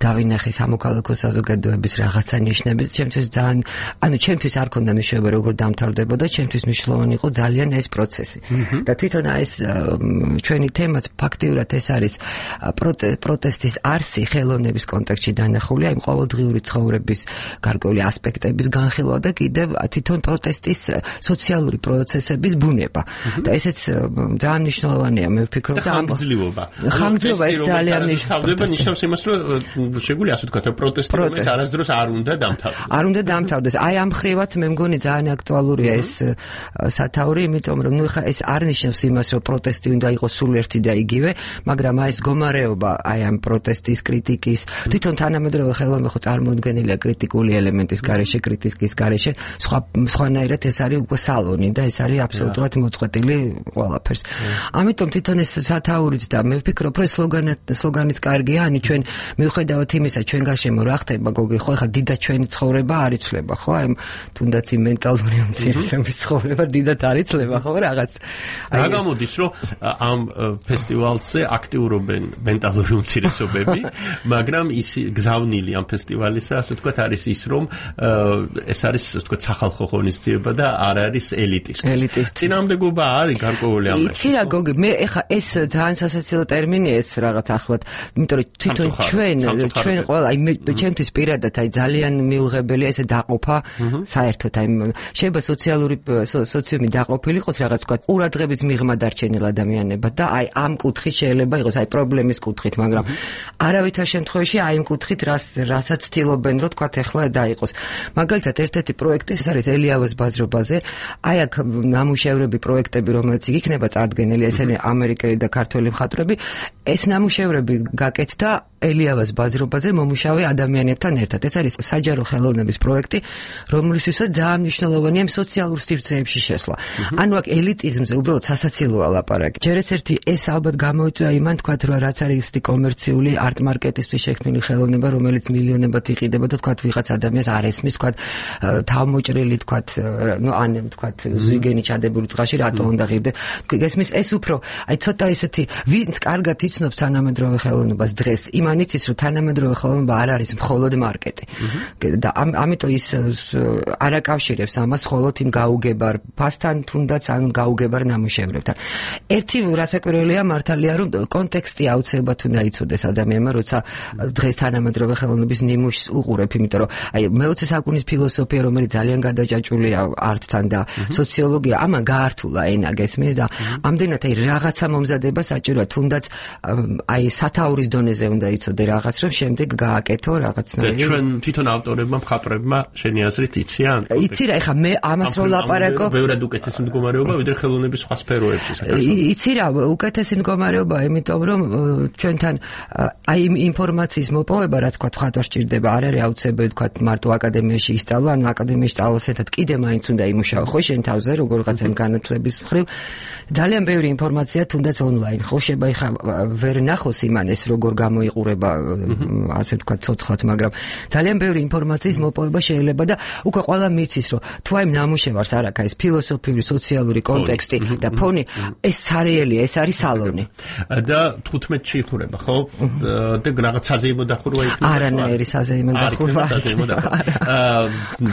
დავინახე სამოქალაქო საზოგადოების რაღაცა ნიშნები. ჩემთვის ძალიან, ანუ ჩემთვის არ ქონდა მნიშვნელობა როგორ დამთავრდებოდა, ჩემთვის მნიშვნელოვანი იყო ძალიან ეს პროცესი. და თვითონ ეს ჩვენი თემაც ფაქტიურად ეს არის პროტესტის არსი ხელოვნების კონტექსტში დანახული, აი ყოველდღიური ცხოვრების გარკვეული ასპექტების განხილვა და კიდევ თვითონ პროტესტის სოციალური პროცესების ბუნება. და ესეც ძალიან მნიშვნელოვანია, მე ვფიქრობ და ხანგრძლივობა. ხანგრძლივობა ეს ძალიან მნიშვნელოვანია. ნიშნავს იმას, რომ შეგვიძლია ასე ვთქვათ, პროტესტი რომელიც არასდროს არ უნდა დამთავრდეს. არ უნდა დამთავრდეს. აი ამ ხრივაც მე მგონი ძალიან აქტუალურია ეს სათაური, იმიტომ რომ ნუ ხა ეს არ ნიშნავს იმას, რომ პროტესტი უნდა იყოს სულ ერთი და იგივე, მაგრამ აი ეს მდგომარეობა, აი ამ პროტესტის, კრიტიკის, თვითონ თანამედროვე ხელოვნება ხო წარმოუდგენელია კრიტიკული ელემენტის გარეშე, კრიტიკის გარეშე, სხვა სხვანაირად ეს არის უკვე სალონი და ეს არის აბსოლუტურად მოწყვეტილი ყველაფერს. ამიტომ თვითონ ეს სათაურიც და მე ვფიქრობ, რომ სლოგანიც კარგია, ანუ ჩვენ მიუხედავად იმისა, ჩვენ გარშემო რა ხდება, გოგი, ხო, ხა დიდად ჩვენი ცხოვრება არ იცვლება, ხო? აი თუნდაც იმ მენტალური უმცირესობის ცხოვრება დიდად არ იცლება, ხო, რაღაც. რა გამოდის, რომ ამ ფესტივალზე აქტიურობენ მენტალური უმცირესობები, მაგრამ ის გზავნილი ამ ფესტივალისა, ასე ვთქვათ, არის ის, რომ ეს არის, ასე ვთქვათ, სახალხო ღონისძიება და არ არის ელიტის. ელიტის წინააღმდეგობა არის გარკვეული ამაში. იცი რა, გოგი, მე ეხა ეს ძალიან სასაცილო ტერმინია ეს რაღაც ახლად, იმიტომ რომ თვითონ ჩვენ ჩვენ ყველა აი მე ჩემთვის პირადად აი ძალიან მიუღებელია ესე დაყოფა საერთოდ აი შეიძლება სოციალური სოციუმი დაყოფილი იყოს რაღაც თქვა ყურადღების მიღმა დარჩენილ ადამიანებად და აი ამ კუთხით შეიძლება იყოს აი პრობლემის კუთხით, მაგრამ არავითარ შემთხვევაში აი იმ კუთხით რას რასაც ცდილობენ რომ თქვა ეხლა დაიყოს. მაგალითად ერთ-ერთი პროექტი ეს არის ელიავას ბაზრობაზე, აი აქ ნამუშევრები პროექტები რომელიც იქნება წარდგენილი, ესენი ამერიკელი და ქართველი მხატვრები, ეს ნამუშევრები გაკეთდა ელიავას ბაზრობაზე მომუშავე ადამიანებთან ერთად. ეს არის საჯარო ხელოვნების პროექტი, რომლისთვისაც ძალიან მნიშვნელოვანია სოციალურ სივრცეებში შესვლა. ანუ აქ ელიტიზმზე უბრალოდ სასაცილოა ლაპარაკი. ჯერ ეს ერთი ეს ალბათ გამოიწვია იმან თქვათ, რომ რაც არის ისეთი კომერციული არტ მარკეტისთვის შექმნილი ხელოვნება, რომელიც მილიონებად იყიდება და თქვათ ვიღაც ადამიანს არ ესმის, თქვათ თავმოჭრილი, თქვათ, ნუ ან თქვათ ზვიგენი ჩადებული წყალში რატო უნდა ღირდე. გესმის ეს უფრო აი ცოტა ისეთი ვინც კარგად იცნობს თანამედროვე ხელოვნებას დღეს, იმან იცის, რომ თანამედროვე ხელოვნება არ არის მხოლოდ მარკეტი. და ამიტომ ის არ აკავშირებს ამას მხოლოდ იმ გაუგებარ ფასთან, თუნდაც ან გაუგებარ ნამუშევრებთან. ერთი რასაკვირველია მართალია, რომ კონტექსტი აუცილებლად უნდა იცოდეს ადამიანმა, როცა დღეს თანამედროვე ხელოვნების ნიმუშს უყურებ, იმიტომ რომ აი მეოცე საუკუნის ფილოსოფია, რომელიც ძალიან გადაჭაჭულია არტთან და სოციოლოგია, ამან გაართულა ენა, გესმის და ამდენად აი რაღაცა მომზადება საჭიროა, თუნდაც აი სათაურის დონეზე უნდა იცოდე რაღაც, რომ შემდეგ გააკეთო რაღაცნაირი. ჩვენ თვითონ ავტორებმა, მხატვრებმა შენი აზრით იციან? იცი რა, ეხა მე ამას რო ლაპარაკო, ბევრად უკეთესი მდგომარეობა ვიდრე ხელოვნების სხვა სფეროებში საქართველოში. იცი რა, უკეთესი მდგომარეობა, იმიტომ რომ ჩვენთან აი ინფორმაციის მოპოვება, რაც თქვა მხატვარს სჭირდება, არ არის აუცილებელი თქვა მარტო აკადემიაში ისწავლა, ანუ აკადემიაში სწავლას ერთად კიდე მაინც უნდა იმუშაო, ხო, შენ თავზე როგორღაც ამ განათლების მხრივ. ძალიან ბევრი ინფორმაცია თუნდაც ონლაინ, ხო, შეიძლება ეხა ვერ ნახოს იმანეს როგორ გამოიყურება, ასე ვთქვათ, ცოცხლად, მაგრამ ძალიან ბევრი ინფორმაციის მოპოვება შეიძლება აუცილება და უკვე ყველა მიცის რომ თუ აი ნამუშევარს არ აქვს ეს ფილოსოფიური, სოციალური კონტექსტი და ფონი, ეს სარიელია, ეს არის სალონი. და თხუთმეტში იხურება, ხო? და რაღაც საზეიმო დახურვა იქნება. არანაირი საზეიმო დახურვა.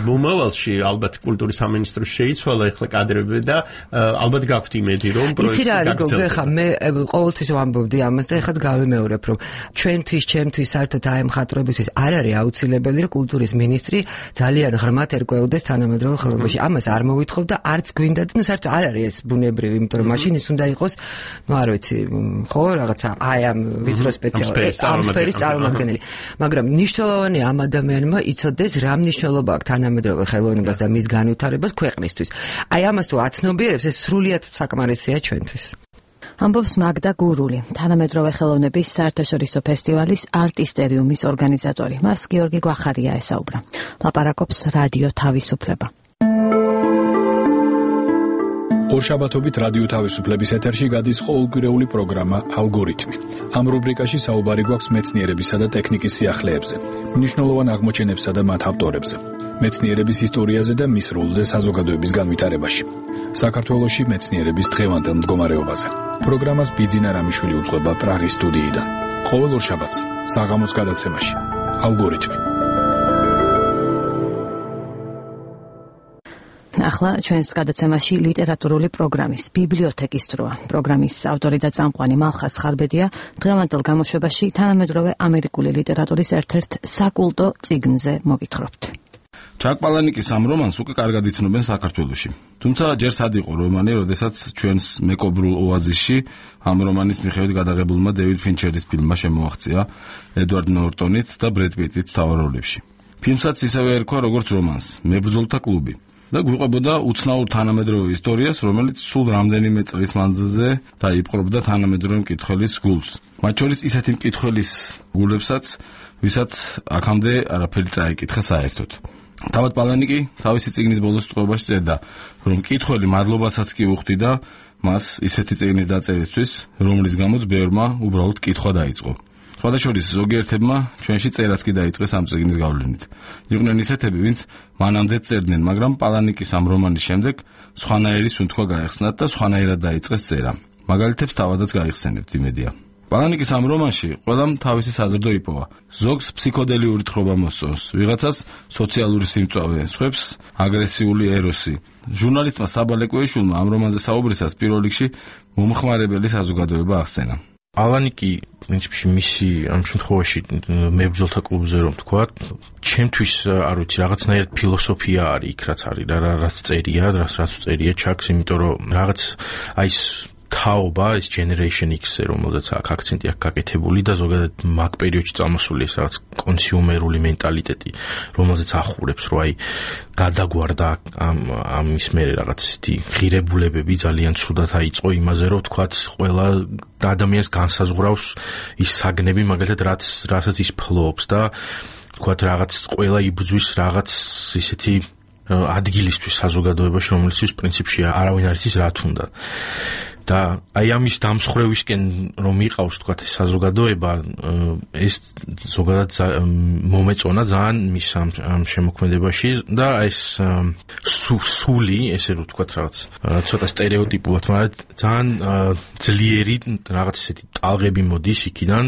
მომავალში ალბათ კულტურის სამინისტროს შეიცვალა ეხლა კადრები და ალბათ გაქვთ იმედი რომ პროექტი გაგრძელდება. ხა მე ყოველთვის ვამბობდი ამას და ეხლა გავიმეორებ რომ ჩვენთვის, ჩემთვის საერთოდ აი მხატვრებისთვის არ არის აუცილებელი რომ კულტურის მინისტრი ძალიან ღრმად ერკვეოდეს თანამედროვე ხელოვნებაში. ამას არ მოვითხოვ და არც გვინდა და ნუ საერთოდ არ არის ეს ბუნებრივი, იმიტომ რომ მაშინ ის უნდა იყოს, ნუ არ ვიცი, ხო, რაღაცა აი ამ ვიწრო სპეციალისტი, ამ სფეროს წარმომადგენელი. მაგრამ მნიშვნელოვანია ამ ადამიანმა იცოდეს რა მნიშვნელობა აქვს თანამედროვე ხელოვნებას და მის განვითარებას ქვეყნისთვის. აი ამას თუ აცნობიერებს, ეს სრულიად საკმარისია ჩვენთვის. ამბობს მაგდა გურული, თანამედროვე ხელოვნების საერთაშორისო ფესტივალის არტისტერიუმის ორგანიზატორი. მას გიორგი გვახარია ესაუბრა. ლაპარაკობს რადიო თავისუფლება. ორშაბათობით რადიო თავისუფლების ეთერში გადის ყოველკვირეული პროგრამა ალგორითმი. ამ რუბრიკაში საუბარი გვაქვს მეცნიერებისა და ტექნიკის სიახლეებზე, მნიშვნელოვან აღმოჩენებსა და მათ ავტორებზე, მეცნიერების ისტორიაზე და მის როლზე საზოგადოების განვითარებაში. საქართველოში მეცნიერების დღევანდელ მდგომარეობაზე. პროგრამას ბიძინა რამიშვილი უძღვება პრაღის სტუდიიდან. ყოველ ორშაბათს საღამოს გადაცემაში ალგორითმი. ახლა ჩვენს გადაცემაში ლიტერატურული პროგრამის ბიბლიოთეკის დროა. პროგრამის ავტორი და წამყვანი მალხაზ ხარბედია დღევანდელ გამოშვებაში თანამედროვე ამერიკული ლიტერატურის ერთ-ერთ საკულტო წიგნზე მოგითხრობთ. ჩაკ პალანიკის ამ რომანს უკვე კარგად იცნობენ საქართველოში. თუმცა ჯერ სად იყო რომანი, როდესაც ჩვენს მეკობრულ ოაზისში ამ რომანის მიხედვით გადაღებულმა დევიდ ფინჩერის ფილმმა შემოაღწია ედვარდ ნორტონით და ბრედ პიტით მთავარ როლებში. ფილმსაც ისევე ერქვა როგორც რომანს, მებრძოლთა კლუბი. და გვიყვებოდა უცნაურ თანამედროვე ისტორიას, რომელიც სულ რამდენიმე წლის მანძილზე დაიპყრობდა თანამედროვე მკითხველის გულს. მათ შორის ისეთი მკითხველის გულებსაც, ვისაც აქამდე არაფერი წაეკითხა საერთოდ. თავად პალანიკი თავისი წიგნის ბოლოს ტყვეობაში წერდა, რომ მკითხველი მადლობასაც კი უხდიდა მას ისეთი წიგნის დაწერისთვის, რომლის გამოც ბევრმა უბრალოდ კითხვა დაიწყო. სხვადასხვა ზოგიერთებმა ჩვენში წერაც კი დაიწყეს ამ წიგნის გავლენით. იყვნენ ისეთები, ვინც მანამდე წერდნენ, მაგრამ პალანიკის ამ რომანის შემდეგ სხვანაირი სუნთქვა გაეხსნათ და სხვანაირად დაიწყეს წერა. მაგალითებს თავადაც გაიხსენებთ, იმედია. პალანიკის ამ რომანში ყველამ თავისი საზრდო იპოვა. ზოგს ფსიქოდელიური თხრობა მოსწონს, ვიღაცას სოციალური სიმწვავე, სხვებს აგრესიული ეროსი. ჟურნალისტმა საბა ლეკვეიშვილმა ამ რომანზე საუბრისას პირველ რიგში მომხმარებელი საზოგადოება ახსენა. პალანიკი პრინციპში მისი ამ შემთხვევაში მებრძოლთა კლუბზე რომ თქვა, ჩემთვის არ ვიცი, რაღაცნაირად ფილოსოფია არის იქ, რაც არის, რა რაც წერია, რაც რაც წერია ჩაკს, იმიტომ რომ რაღაც აი ეს თაობა, ეს generation X-ზე, რომელზეც აქ აქცენტი აქვს გაკეთებული და ზოგადად მაგ პერიოდში წამოსული ეს რაღაც კონსიუმერული მენტალიტეტი, რომელზეც ახურებს, რომ აი გადაგვარდა ამ ამის მერე რაღაც ისეთი ღირებულებები ძალიან ცუდად აიწყო იმაზე, რომ თქვათ ყველა ადამიანს განსაზღვრავს ის საგნები, მაგალითად რაც რასაც ის ფლობს და თქვათ რაღაც ყველა იბრძვის რაღაც ისეთი ადგილისთვის საზოგადოებაში, რომელიცთვის პრინციპში არავინ არ იცის რა თუნდა. და აი ამის დამსხრევისკენ რომ იყავს თქვათ ეს საზოგადოება, ეს ზოგადად მომეწონა ძალიან მის ამ შემოქმედებაში და ეს სული, ესე რომ თქვათ რაღაც ცოტა სტერეოტიპულად, მაგრამ ძალიან ძლიერი რაღაც ესეთი ტალღები მოდის იქიდან.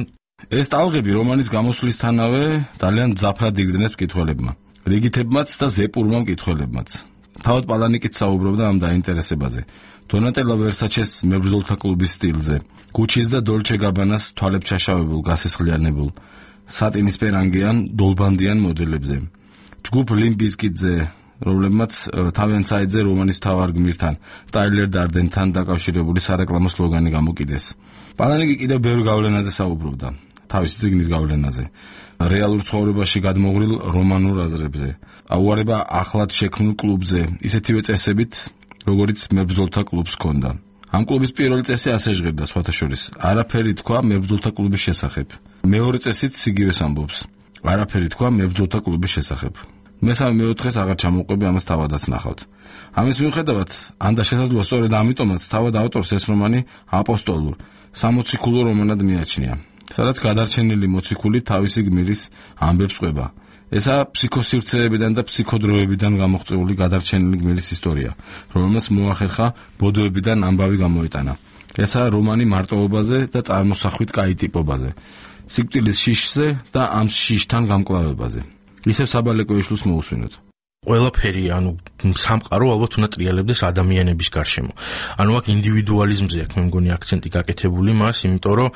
ეს ტალღები რომანის გამოსვლისთანავე ძალიან მძაფრად იგრძნეს მკითხველებმა, რიგითებმაც და ზეპურმა მკითხველებმაც. თავად პალანიკიც საუბრობდა ამ დაინტერესებაზე. დონატელა ვერსაჩეს მებრძოლთა კლუბის სტილზე, გუჩის და დოლჩე გაბანას თვალებჩაშავებულ, გასესხლიანებულ, სატინისფერანგიან, დოლბანდიან მოდელებზე. ჯგუფ ლიმბიზკიტზე, რომლებმაც თავიანთ საიტზე რომანის მთავარ გმირთან, ტაილერ დარდენთან დაკავშირებული სარეკლამო სლოგანი გამოკიდეს. პალანიკი კიდევ ბევრ გავლენაზე საუბრობდა, თავისი წიგნის გავლენაზე. რეალურ ცხოვრებაში გადმოღრილ რომანურ აზრებზე, აუარება ახლად შექმნილ კლუბზე, ისეთივე წესებით, როგორც მებრძოლთა კლუბს ჰქონდა. ამ კლუბის პირველი წესი ასე ჟღერდა, სხვათა შორის, არაფერი თქვა მებრძოლთა კლუბის შესახებ. მეორე წესით იგივეს ამბობს, არაფერი თქვა მებრძოლთა კლუბის შესახებ. მესამე მეოთხეს აღარ ჩამოვყვები, ამას თავადაც ნახავთ. ამის მიუხედავად, ანდა შესაძლოა სწორედ ამიტომაც თავად ავტორს ეს რომანი აპოსტოლურ, სამოციქულო რომანად მიაჩნია, სადაც გადარჩენილი მოციქული თავისი გმირის ამბებს ყვება. ესაა ფსიქოსივრცეებიდან და ფსიქოდროებიდან გამოღწეული გადარჩენილი გმირის ისტორია, რომელმაც მოახერხა ბოდოებიდან ამბავი გამოეტანა. ესაა რომანი მარტოობაზე და წარმოსახვით კაი-ტიპობაზე, სიკვდილის შიშზე და ამ შიშთან გამკლავებაზე. ისევ საბალეკო ეშლოს მოусვინოთ. ყველაფერი, ანუ სამყარო ალბათ უნდა ტრიალებდეს ადამიანების გარშემო. ანუ აქ ინდივიდუალიზმზე აქვს მე მგონი აქცენტი გაკეთებული მას, იმიტომ რომ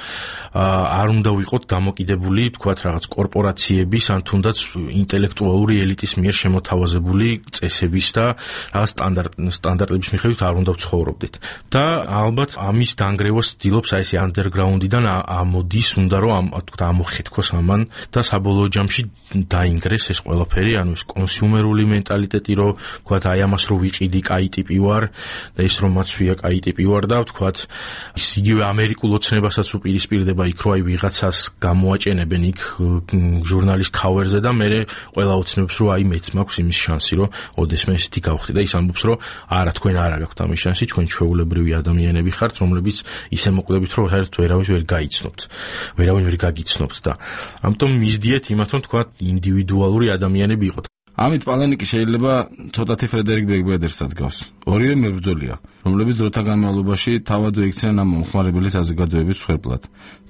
არ უნდა ვიყოთ დამოკიდებული, თქვათ რაღაც კორპორაციების ან თუნდაც ინტელექტუალური ელიტის მიერ შემოთავაზებული წესების და რაღაც სტანდარტ სტანდარტების მიხედვით არ უნდა ვცხოვრობდეთ. და ალბათ ამის დანგრევას ცდილობს აი ესე ანდერგრაუნდიდან ამოდის, უნდა რომ ამ თქვათ ამოხეთქოს ამან და საბოლოო ჯამში დაინგრეს ეს ყველაფერი, ანუ ეს კონსიუმერული მენტალიტეტი, რომ თქვათ აი ამას რო ვიყიდი კაი-ტიპი ვარ და ის რომ მაცვია კაი-ტიპი ვარ და თქვათ ის იგივე ამერიკულ ოცნებასაც უპირისპირდება იქ, რომ აი ვიღაცას გამოაჭენებენ იქ ჟურნალის ქავერზე და მე ყველა ოცნებს რომ აი მეც მაქვს იმის შანსი, რომ ოდესმე ესეთი გავხდი და ის ამბობს, რომ არა, თქვენ არ გაქვთ ამის შანსი, ჩვენ ჩვეულებრივი ადამიანები ხართ, რომლებიც ისე მოკლებით, რომ საერთოდ ვერავის ვერ გაიცნობთ, ვერავინ ვერ გაგიცნობთ და ამიტომ მისდიეთ იმათ, რომ თქვათ ინდივიდუალური ადამიანები იყოთ. ამით პალანიკი შეიძლება ცოტათი ფრედერიკ ბეგბედერსაც გავს. ორივე მებრძოლია, რომლებიც დროთა განმავლობაში თავადვე იქცნენ ამ მომხმარებელი საზოგადოების მსხვერპლად.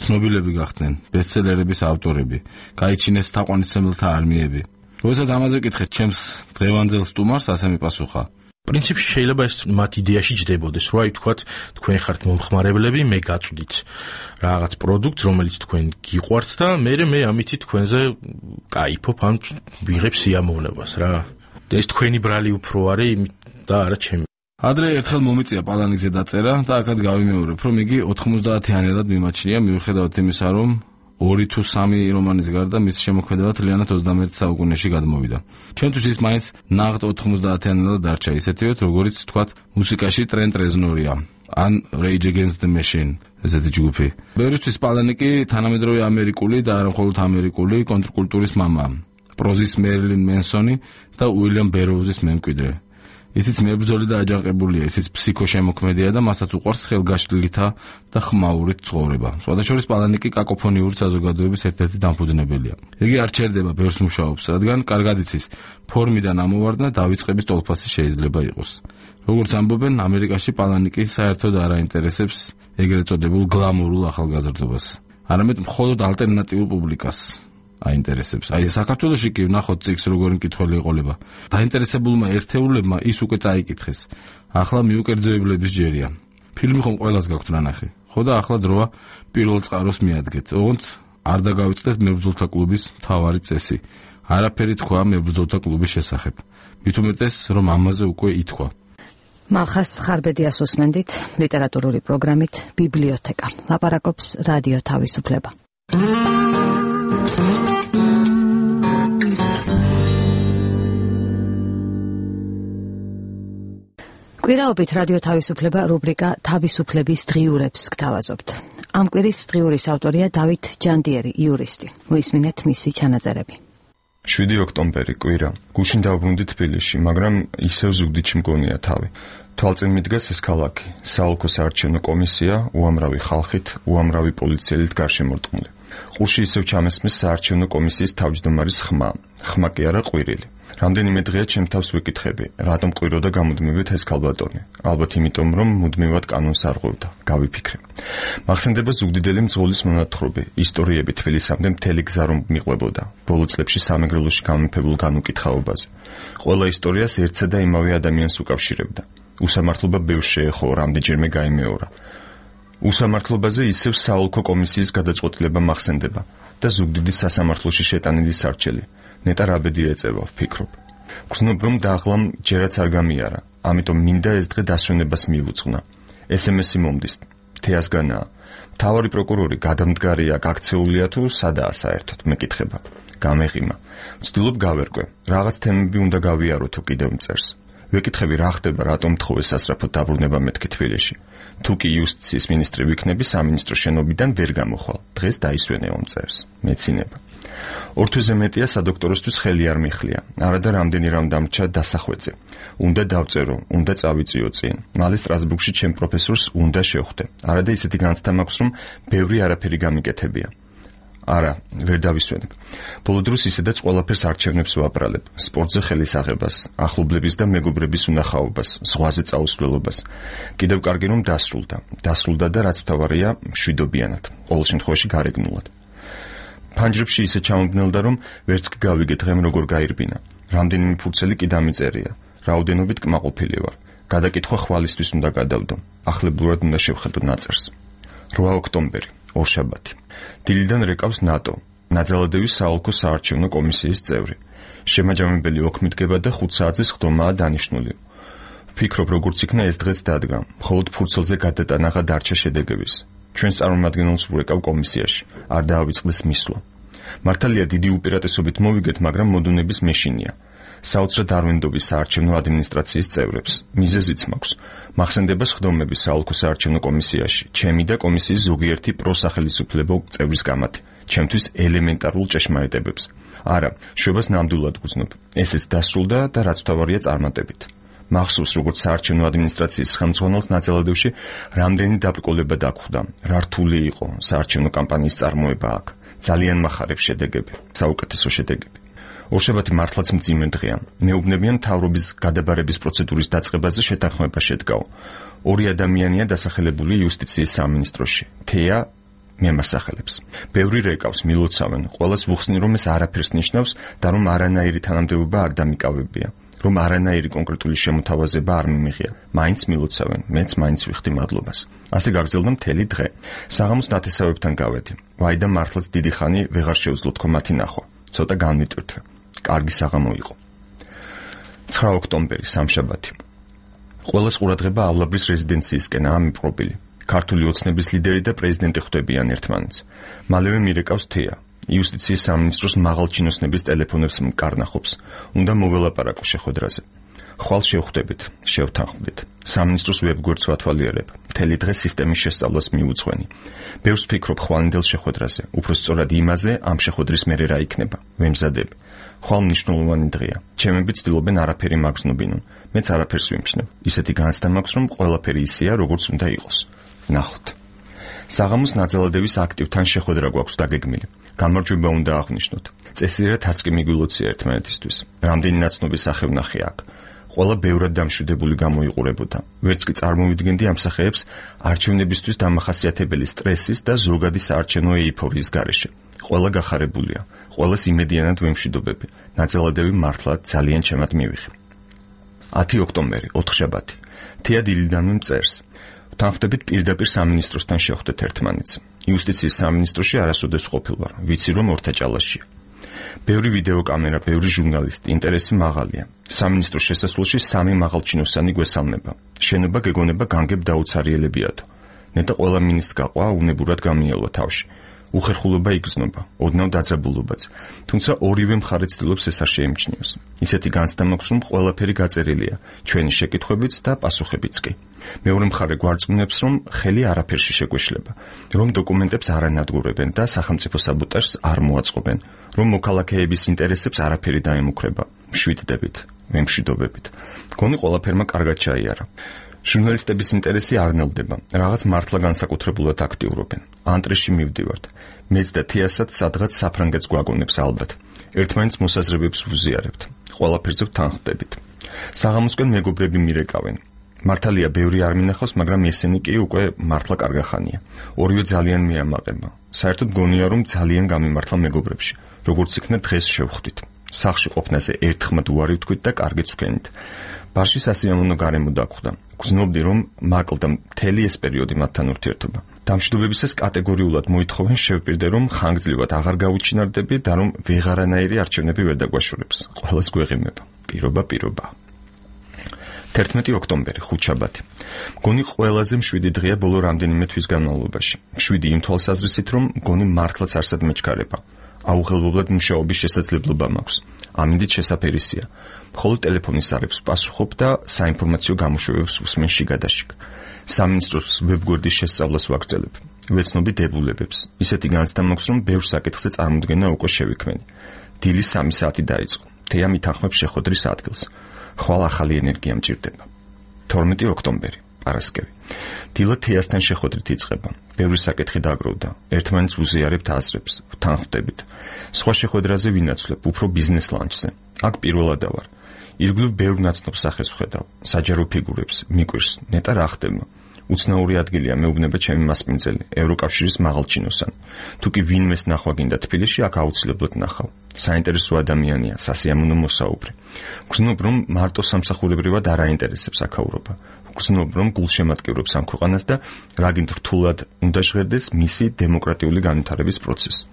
ცნობილები გახდნენ, ბესტსელერების ავტორები, გაიჩინეს თაყვანისმცემელთა არმიები. როდესაც ამაზე ვკითხეთ ჩემს დღევანდელ სტუმარს, ასე მიპასუხა: პრინციპში შეიძლება ეს მათ იდეაში ჯდებოდეს, რომ აი თქვათ თქვენ ხართ მომხმარებლები, მე გაწვდით რაღაც პროდუქტს, რომელიც თქვენ გიყვართ და მე მე ამითი თქვენზე кайფობ ან ვიღებ სიამოვნებას რა. ეს თქვენი ბრალი უფრო არის და არა ჩემი. ადრე ერთხელ მომიწია პალანიკზე დაწერა და აქაც გავიმეორებ, რომ იგი ოთხმოცდაათიანად მიმაჩნია, მიუხედავად იმისა, რომ ორი თუ სამი რომანის გარდა მის შემოქმედება თლიანად ოცდამეერთე საუკუნეში გადმოვიდა. ჩვენთვის ის მაინც ნაღდ ოთხმოცდაათიანად დარჩა, ისეთივე როგორიც თქვათ მუსიკაში ტრენტ რეზნორია ან Rage Against the Machine, ესეთი ჯგუფი. ბევრისთვის პალანიკი თანამედროვე ამერიკული და არა მხოლოდ ამერიკული კონტრკულტურის მამაა. პროზის მერილინ მენსონი და უილიამ ბეროუზის მემკვიდრე. ისიც მებრძოლი და აჯანყებულია, ისიც ფსიქოშემოქმედია და მასაც უყვარს ხელგაშლითა და ხმაურით ცხოვრება. სხვადასხვა პალანიკი კაკოფონიური საზოგადოების ერთ-ერთი დამფუძნებელია. იგი არ ჩერდება ბევრს მუშაობს, რადგან კარგად იცის, ფორმიდან ამოვარდნა დავიწყების ტოლფასი შეიძლება იყოს. როგორც ამბობენ, ამერიკაში პალანიკი საერთოდ არ აინტერესებს ეგრეთ წოდებულ გლამურულ ახალგაზრდობას, არამედ მხოლოდ ალტერნატიულ პუბლიკას აინტერესებს. აი საქართველოში კი ვნახოთ წიგს როგორი მკითხველი ეყოლება. დაინტერესებულმა ერთეულებმა ის უკვე წაიკითხეს. ახლა მიუკერძოებლების ჯერია. ფილმი ხომ ყველას გაქვთ ნანახი. ხო და ახლა დროა პირველ წყაროს მიადგეთ. ოღონდ არ დაგავიწყდეთ მებრძოლთა კლუბის მთავარი წესი. არაფერი თქვა მებრძოლთა კლუბის შესახებ. მით უმეტეს რომ ამაზე უკვე ითქვა. მალხას ხარბედიას უსმენდით ლიტერატურული პროგრამით ბიბლიოთეკა. ლაპარაკობს რადიო თავისუფლება. კვირაობით რადიო თავისუფლება რუბრიკა თავისუფლების დღიურებს გთავაზობთ. ამ კვირის დღიურის ავტორია დავით ჯანდიერი, იურისტი. მოისმინეთ მისი ჩანაწერები. შვიდი ოქტომბერი კვირა. გუშინ დავბრუნდი თბილისში, მაგრამ ისევ ზუგდიდში მგონია თავი. თვალწინ მიდგას ეს ქალაქი, საოლქო საარჩევნო კომისია, უამრავი ხალხით, უამრავი პოლიციელით გარშემორტყმული. ყურში ისევ ჩამესმის საარჩევნო კომისიის თავმჯდომარის ხმა, ხმა კი არა ყვირილი. რამდენიმე დღეა ჩემ თავს ვიკითხები, რატომ ყვიროდა გამუდმებით ეს ქალბატონი. ალბათ იმიტომ, რომ მუდმივად კანონს არ ღვევდა. გავიფიქრე. მახსენდება ზუგდიდელი მძღოლის მონათხრობი, ისტორიები თბილისამდე მთელი გზა რომ მიყვებოდა. ბოლო წლებში სამეგრელოში გამეფებულ განუკითხაობაზე. ყველა ისტორიას ერთსა და იმავე ადამიანს უკავშირებდა. უსამართლობა ბევრს შეეხო, რამდენჯერმე გაიმეორა. უსამართლობაზე ისევ საოლქო კომისიის გადაწყვეტილება მახსენდება და ზუგდიდის სასამართლოში შეტანილი სარჩელი. ნეტარ აბედი ეწევა, ვფიქრობ. გრძნობ რომ დაღლამ ჯერაც არ გამიარა, ამიტომ მინდა ეს დღე დასვენებას მიუძღვნა. ეს ემ ესი მომდის, თეასგანაა. მთავარი პროკურორი გადამდგარია, გაქცეულია თუ სადაა საერთოდ, მეკითხება. გამეღიმა. ვცდილობ გავერკვე, რაღაც თემები უნდა გავიარო თუ კიდევ მწერს. ვეკითხები რა ხდება, რატომ თხოვეს სასწრაფოდ დაბრუნება მეთქი თბილისში. თუ კი იუსტიციის მინისტრი ვიქნები, სამინისტრო შენობიდან ვერ გამოხვალ. დღეს დაისვენე მომწერს. მეცინება. ორ თვეზე მეტია სადოქტოროსთვის ხელი არ მიხლია. არადა რამდენი რამ დამრჩა დასახვეწე. უნდა დავწერო, უნდა წავიწიო წინ. მალე სტრასბურგში ჩემ პროფესორს უნდა შევხვდე. არადა ისეთი განცდა მაქვს, რომ ბევრი არაფერი გამიკეთებია. არა, ვერ დავისვენებ. ბოლო დროს ისედაც ყველაფერს არჩევნებს ვაბრალებ. სპორტზე ხელის აღებას, ახლობლების და მეგობრების უნახაობას, ზღვაზე წაუსვლელობას. კიდევ კარგი რომ დასრულდა. დასრულდა და რაც მთავარია, მშვიდობიანად. ყოველ შემთხვევაში გარეგნულად. ფანჯრებში ისე ჩამომგნელდა რომ ვერც კი გავიგე დღემ როგორ გაირბინა. რამდენიმე ფურცელი კი დამიწერია. რაოდენობით კმაყოფილი ვარ. გადაკითხვა ხვალისთვის უნდა გადავდო. ახლებურად უნდა შევხედო ნაწერს. რვა ოქტომბერი, ორშაბათი. დილიდან რეკავს ნატო, ნაძალადევის საოლქო საარჩევნო კომისიის წევრი. შემაჯამებელი ოქმიდგება და ხუთ საათზე სხდომაა დანიშნული. ვფიქრობ, როგორც იქნა ეს დღეც დადგა, მხოლოდ ფურცელზე გადატანაღა დარჩა შედეგების. ჩვენს წარმომადგენელს ვურეკავ კომისიაში, არ დაავიწყდეს მისვლა. მართალია დიდი უპირატესობით მოვიგეთ, მაგრამ მოდუნების მეშინია. საოცრად არ ვენდობი საარჩევნო ადმინისტრაციის წევრებს. მიზეზიც მაქვს. მახსენდება სხდომები საოლქო საარჩევნო კომისიაში, ჩემი და კომისიის ზოგიერთი პროსახელისუფლებო წევრის გამათი, ჩემთვის ელემენტარულ ჭეშმარიტებებს. არა, შვებას ნამდვილად გძნობ. ესეც დასრულდა და რაც მთავარია წარმატებით. მახსოვს, როგორც საარჩევნო ადმინისტრაციის ხელმძღვანელს ნაძალადევში რამდენი დაბრკოლება დაგვხვდა, რა რთული იყო საარჩევნო კამპანიის წარმოება აქ. ძალიან მახარებს შედეგები, საუკეთესო შედეგები. ორშაბათი მართლაც მძიმე დღეა. მეუბნებიან მთავრობის გადაბარების პროცედურის დაწყებაზე შეთანხმება შედგაო. ორი ადამიანია დასახელებული იუსტიციის სამინისტროში. თეა მემასახელებს. ბევრი რეკავს, მილოცავენ, ყველას ვუხსნი რომ ეს არაფერს ნიშნავს და რომ არანაირი თანამდებობა არ დამიკავებია, რომ არანაირი კონკრეტული შემოთავაზება არ მიმიღია. მაინც მილოცავენ, მეც მაინც ვიხდი მადლობას. ასე გაგრძელდა მთელი დღე. საღამოს ნათესავებთან გავედი. ვაი და მართლაც დიდი ხანი ვეღარ შეუძლო თქო მათი ნახვა. ცოტა განვიტვირთვე. კარგი საღამო იყო. ცხრა ოქტომბერი, სამშაბათი. ყველას ყურადღება ავლაბრის რეზიდენციისკენაა მიპყრობილი. ქართული ოცნების ლიდერი და პრეზიდენტი ხვდებიან ერთმანეთს. მალევე მირეკავს თეა. იუსტიციის სამინისტროს მაღალჩინოსნების ტელეფონებს მკარნახობს. უნდა მოველაპარაკო შეხვედრაზე. ხვალ შევხვდებით, შევთანხმდით. სამინისტროს ვებგვერდს ვათვალიერებ. მთელი დღე სისტემის შესწავლას მიუძღვენი. ბევრს ვფიქრობ ხვალინდელ შეხვედრაზე, უფრო სწორად იმაზე, ამ შეხვედრის მერე რა იქნება. ვემზადებ. ხვალ მნიშვნელოვანი დღეა. ჩემები ცდილობენ არაფერი მაგზნობინონ. მეც არაფერს ვიმჩნევ. ისეთი განცდა მაქვს, რომ ყველაფერი ისეა, როგორც უნდა იყოს. ნახოთ. საღამოს ნაძალადევის აქტივთან შეხვედრა გვაქვს დაგეგმილი. გამარჯვება უნდა აღვნიშნოთ. წესიერად არც კი მიგვილოცია ერთმანეთისთვის. რამდენი ნაცნობი სახევნახე აქ. ყველა ბევრად დამშვიდებული გამოიყურებოდა. ვერც კი წარმოვიდგენდი ამ სახეებს არჩევნებისთვის დამახასიათებელი სტრესის და ზოგადი საარჩევნო ეიფორიის გარეშე. ყველა გახარებულია. ყველას იმედიანად ვემშვიდობები. ნაძალადევი მართლა ძალიან ჩემად მივიღე. ათი ოქტომბერი, ოთხშაბათი. თეა დილიდანვე მწერს. ვთანხმდებით პირდაპირ სამინისტროსთან შევხვდეთ ერთმანეთს. იუსტიციის სამინისტროში არასოდეს ყოფილვარ. ვიცი რომ ორთაჭალაშია. ბევრი ვიდეო კამერა, ბევრი ჟურნალისტი, ინტერესი მაღალია. სამინისტროს შესასვლელში სამი მაღალჩინოსანი გვესალმება. შენობა გეგონება განგებ დაუცარიელებიათო. ნეტა ყველა მინისტრს გაყვა, უნებურად გამიელვა თავში. უხერხულობა იგრძნობა, ოდნავ დაძაბულობაც. თუმცა ორივე მხარე ცდილობს ეს არ შეემჩნიოს. ისეთი განცდა მაქვს, რომ ყველაფერი გაწერილია, ჩვენი შეკითხვებიც და პასუხებიც კი. მეორე მხარე გვარწმუნებს, რომ ხელი არაფერში შეგვეშლება, რომ დოკუმენტებს არ ანადგურებენ და სახელმწიფო საბოტაჟს არ მოაწყობენ, რომ მოქალაქეების ინტერესებს არაფერი დაემუქრება. მშვიდდებით, ვემშვიდობებით. გონი ყველაფერმა კარგად ჩაიარა. ჟურნალისტების ინტერესი არ ნელდება, რაღაც მართლა განსაკუთრებულად აქტიურობენ. ანტრეში მივდივართ. მეც და თეასაც სადღაც საფრანგეთს გვაგონებს ალბათ. ერთმანეთს მოსაზრებებს ვუზიარებთ. ყველაფერზე ვთანხმდებით. საღამოსკენ მეგობრები მირეკავენ. მართალია ბევრი არ მინახავს, მაგრამ ესენი კი უკვე მართლა კარგახანია. ორივე ძალიან მიამაყება. საერთოდ გონია რომ ძალიან გამიმართლა მეგობრებში. როგორც იქნა დღეს შევხვდით. სახლში ყოფნაზე ერთხმად უარი ვთქვით და კარგიც ვქენით. ბარში სასიამოვნო გარემო დაგვხვდა. გრძნობდი რომ მაკლდა მთელი ეს პერიოდი მათთან ურთიერთობა. დამშვიდობებისას კატეგორიულად მოითხოვენ შევპირდე რომ ხანგრძლივად აღარ გავუჩინარდები და რომ ვეღარანაირი არჩევნები ვერ დაგვაშორებს. ყველას გვეღიმება. პირობა პირობა. თერთმეტი ოქტომბერი, ხუთშაბათი. მგონი ყველაზე მშვიდი დღეა ბოლო რამდენიმე თვის განმავლობაში. მშვიდი იმ თვალსაზრისით რომ მგონი მართლაც არსად მეჩქარება. აუღელებლად მუშაობის შესაძლებლობა მაქვს. ამინდით შესაფერისია. მხოლოდ ტელეფონის ზარებს პასუხობ და საინფორმაციო გამოშვებებს უსმენ შიგადაშიგ. სამინისტროს ვებგვერდის შესწავლას ვაგრძელებ. ვეცნობი დებულებებს. ისეთი განცდა მაქვს, რომ ბევრ საკითხზე წარმოდგენა უკვე შევიქმნი. დილის სამი საათი დაიწყო. თეა მითანხმებს შეხვედრის ადგილს. ხვალ ახალი ენერგია მჭირდება. თორმეტი ოქტომბერი, პარასკევი. დილა თეასთან შეხვედრით იწყება. ბევრი საკითხი დაგროვდა. ერთმანეთს უზიარებთ აზრებს, თანხმდებით. სხვა შეხვედრაზე ვინაცვლებ, უფრო ბიზნეს ლანჩზე. აქ პირველადა ვარ. ირგვლივ ბევრ ნაცნობ სახეს ვხედავ, საჯარო ფიგურებს, მიკვირს, ნეტა რა ხდება. უცნაური ადგილია მეუბნება ჩემი მასპინძელი, ევროკავშირის მაღალჩინოსანი. თუ კი ვინმეს ნახვა გინდა თბილისში, აქ აუცილებლად ნახავ. საინტერესო ადამიანია, სასიამოვნო მოსაუბრი. გრძნობ, რომ მარტო სამსახურებრივად არ აინტერესებს აქაურობა. გრძნობ, რომ გულშემატკივრებს ამ ქვეყანას და რაგინ რთულად უნდა ჟღერდეს მისი დემოკრატიული განვითარების პროცესი.